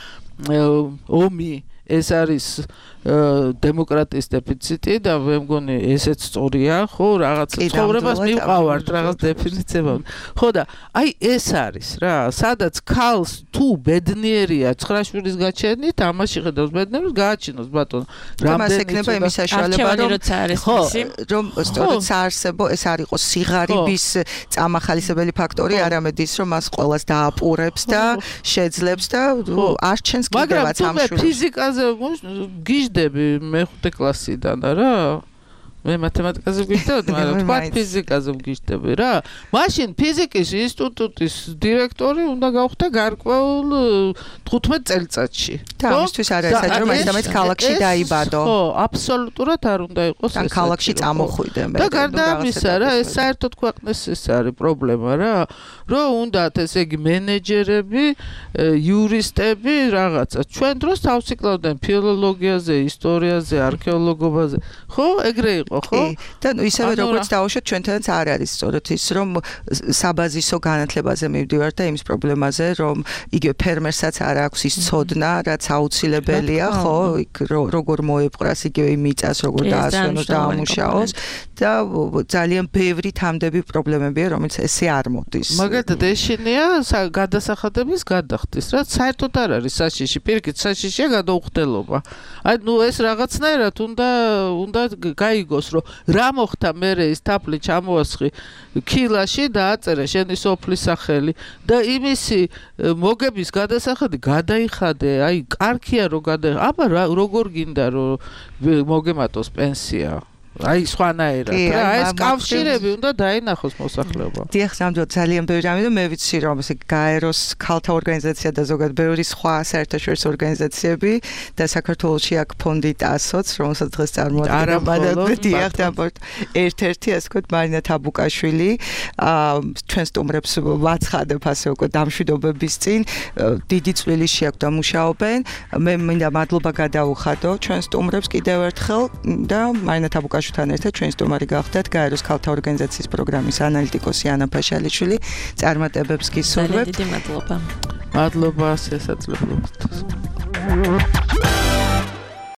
ომი ეს არის დემოკრატიის დეფიციტი და მე მგონი ესეც სწორია ხო რაღაც ცხოვრებას მივყავართ რაღაც დეფიციტება ხო და აი ეს არის რა სადაც ქალს თუ ბედნიერია 9 შვილის გაჩენით ამაში ხედავს ბედნიერს გააჩინოს ბატონო რამდენი ექნება იმის საშუალება რომ სწორედ საარსებო ეს არ იყოს სიღარიბის წამახალისებელი ფაქტორი არამედ ის რომ მას ყველას დააპურებს და შეძლებს და არჩენს კიდევაც ამ შვილს ფიზიკაზე გიждები მე-5 კლასიდან რა მე მათემატიკაზე ვგიჟდებოდი, მაგრამ თქვა ფიზიკაზე ვგიჟდები რა. მაშინ ფიზიკის ინსტიტუტის დირექტორი უნდა გავხდე გარკვეულ 15 წელიწადში. და ამისთვის არ არის საჭირო მაინც ქალაქში დაიბადო. ხო, აბსოლუტურად არ უნდა იყოს ეს. და ქალაქში წამოხვიდე მე. და გარდა ამისა რა, ეს საერთოდ ქვეყნის ეს არის პრობლემა რა, რომ უნდათ ესე იგი მენეჯერები, იურისტები რაღაცა. ჩვენ დროს თავს იკლავდნენ ფილოლოგიაზე, ისტორიაზე, არქეოლოგობაზე. ხო, ეგრე იყო ხო? და ისევე როგორც დავუშვათ ჩვენთანაც არ არის სწორედ ის რომ საბაზისო განათლებაზე მივდივართ და იმის პრობლემაზე რომ იგივე ფერმერსაც არ აქვს ის ცოდნა რაც აუცილებელია ხო იქ როგორ მოეპყრას იგივე მიწას როგორ დაასვენოს და ამუშაოს და ძალიან ბევრი თამდები პრობლემებია რომელიც ესე არ მოდის მაგალითად ეშინია გადასახადების გადახდის რა საერთოდ არ არის საშიში პირიქით საშიშია გადაუხდელობა აი ნუ ეს რაღაცნაირად უნდა გაიგოს რომ რა მოხდა მერე ის თაფლი ჩამოასხი ქილაში და აწერე შენი სოფლის სახელი და იმისი მოგების გადასახადი გადაიხადე აი კარგია რომ აბა როგორ გინდა რომ მოგემატოს პენსია აი სხვანაირად რა ეს კავშირები უნდა დაინახოს მოსახლეობა. დიახ, სამდროდ ძალიან ბევრი რამე და მე ვიცი რომ ესე გაეროს ქალთა ორგანიზაცია და ზოგადად ბევრი სხვა საერთაშორისო ორგანიზაციები და საქართველოში აქ ფონდი ტასოც, რომელსაც დღეს წარმოადგენდა დიახ და ერთ-ერთი ასე ვთქვათ მარინა თაბუკაშვილი ჩვენ სტუმრებს ვაცხადებ ასე უკვე დამშვიდობების წინ დიდი წვლილი შეაქვს და მუშაობენ. მე მინდა მადლობა გადავუხადო ჩვენ სტუმრებს კიდევ ერთხელ და მარინა თაბუკაშვილი ხაშუთან ერთად ჩვენი სტუმარი გახდათ გაეროს ქალთა ორგანიზაციის პროგრამის ანალიტიკოსი ანა ფაშალიშვილი. წარმატებებს გისურვებთ. დიდი მადლობა. მადლობა შესაძლებლობისთვის.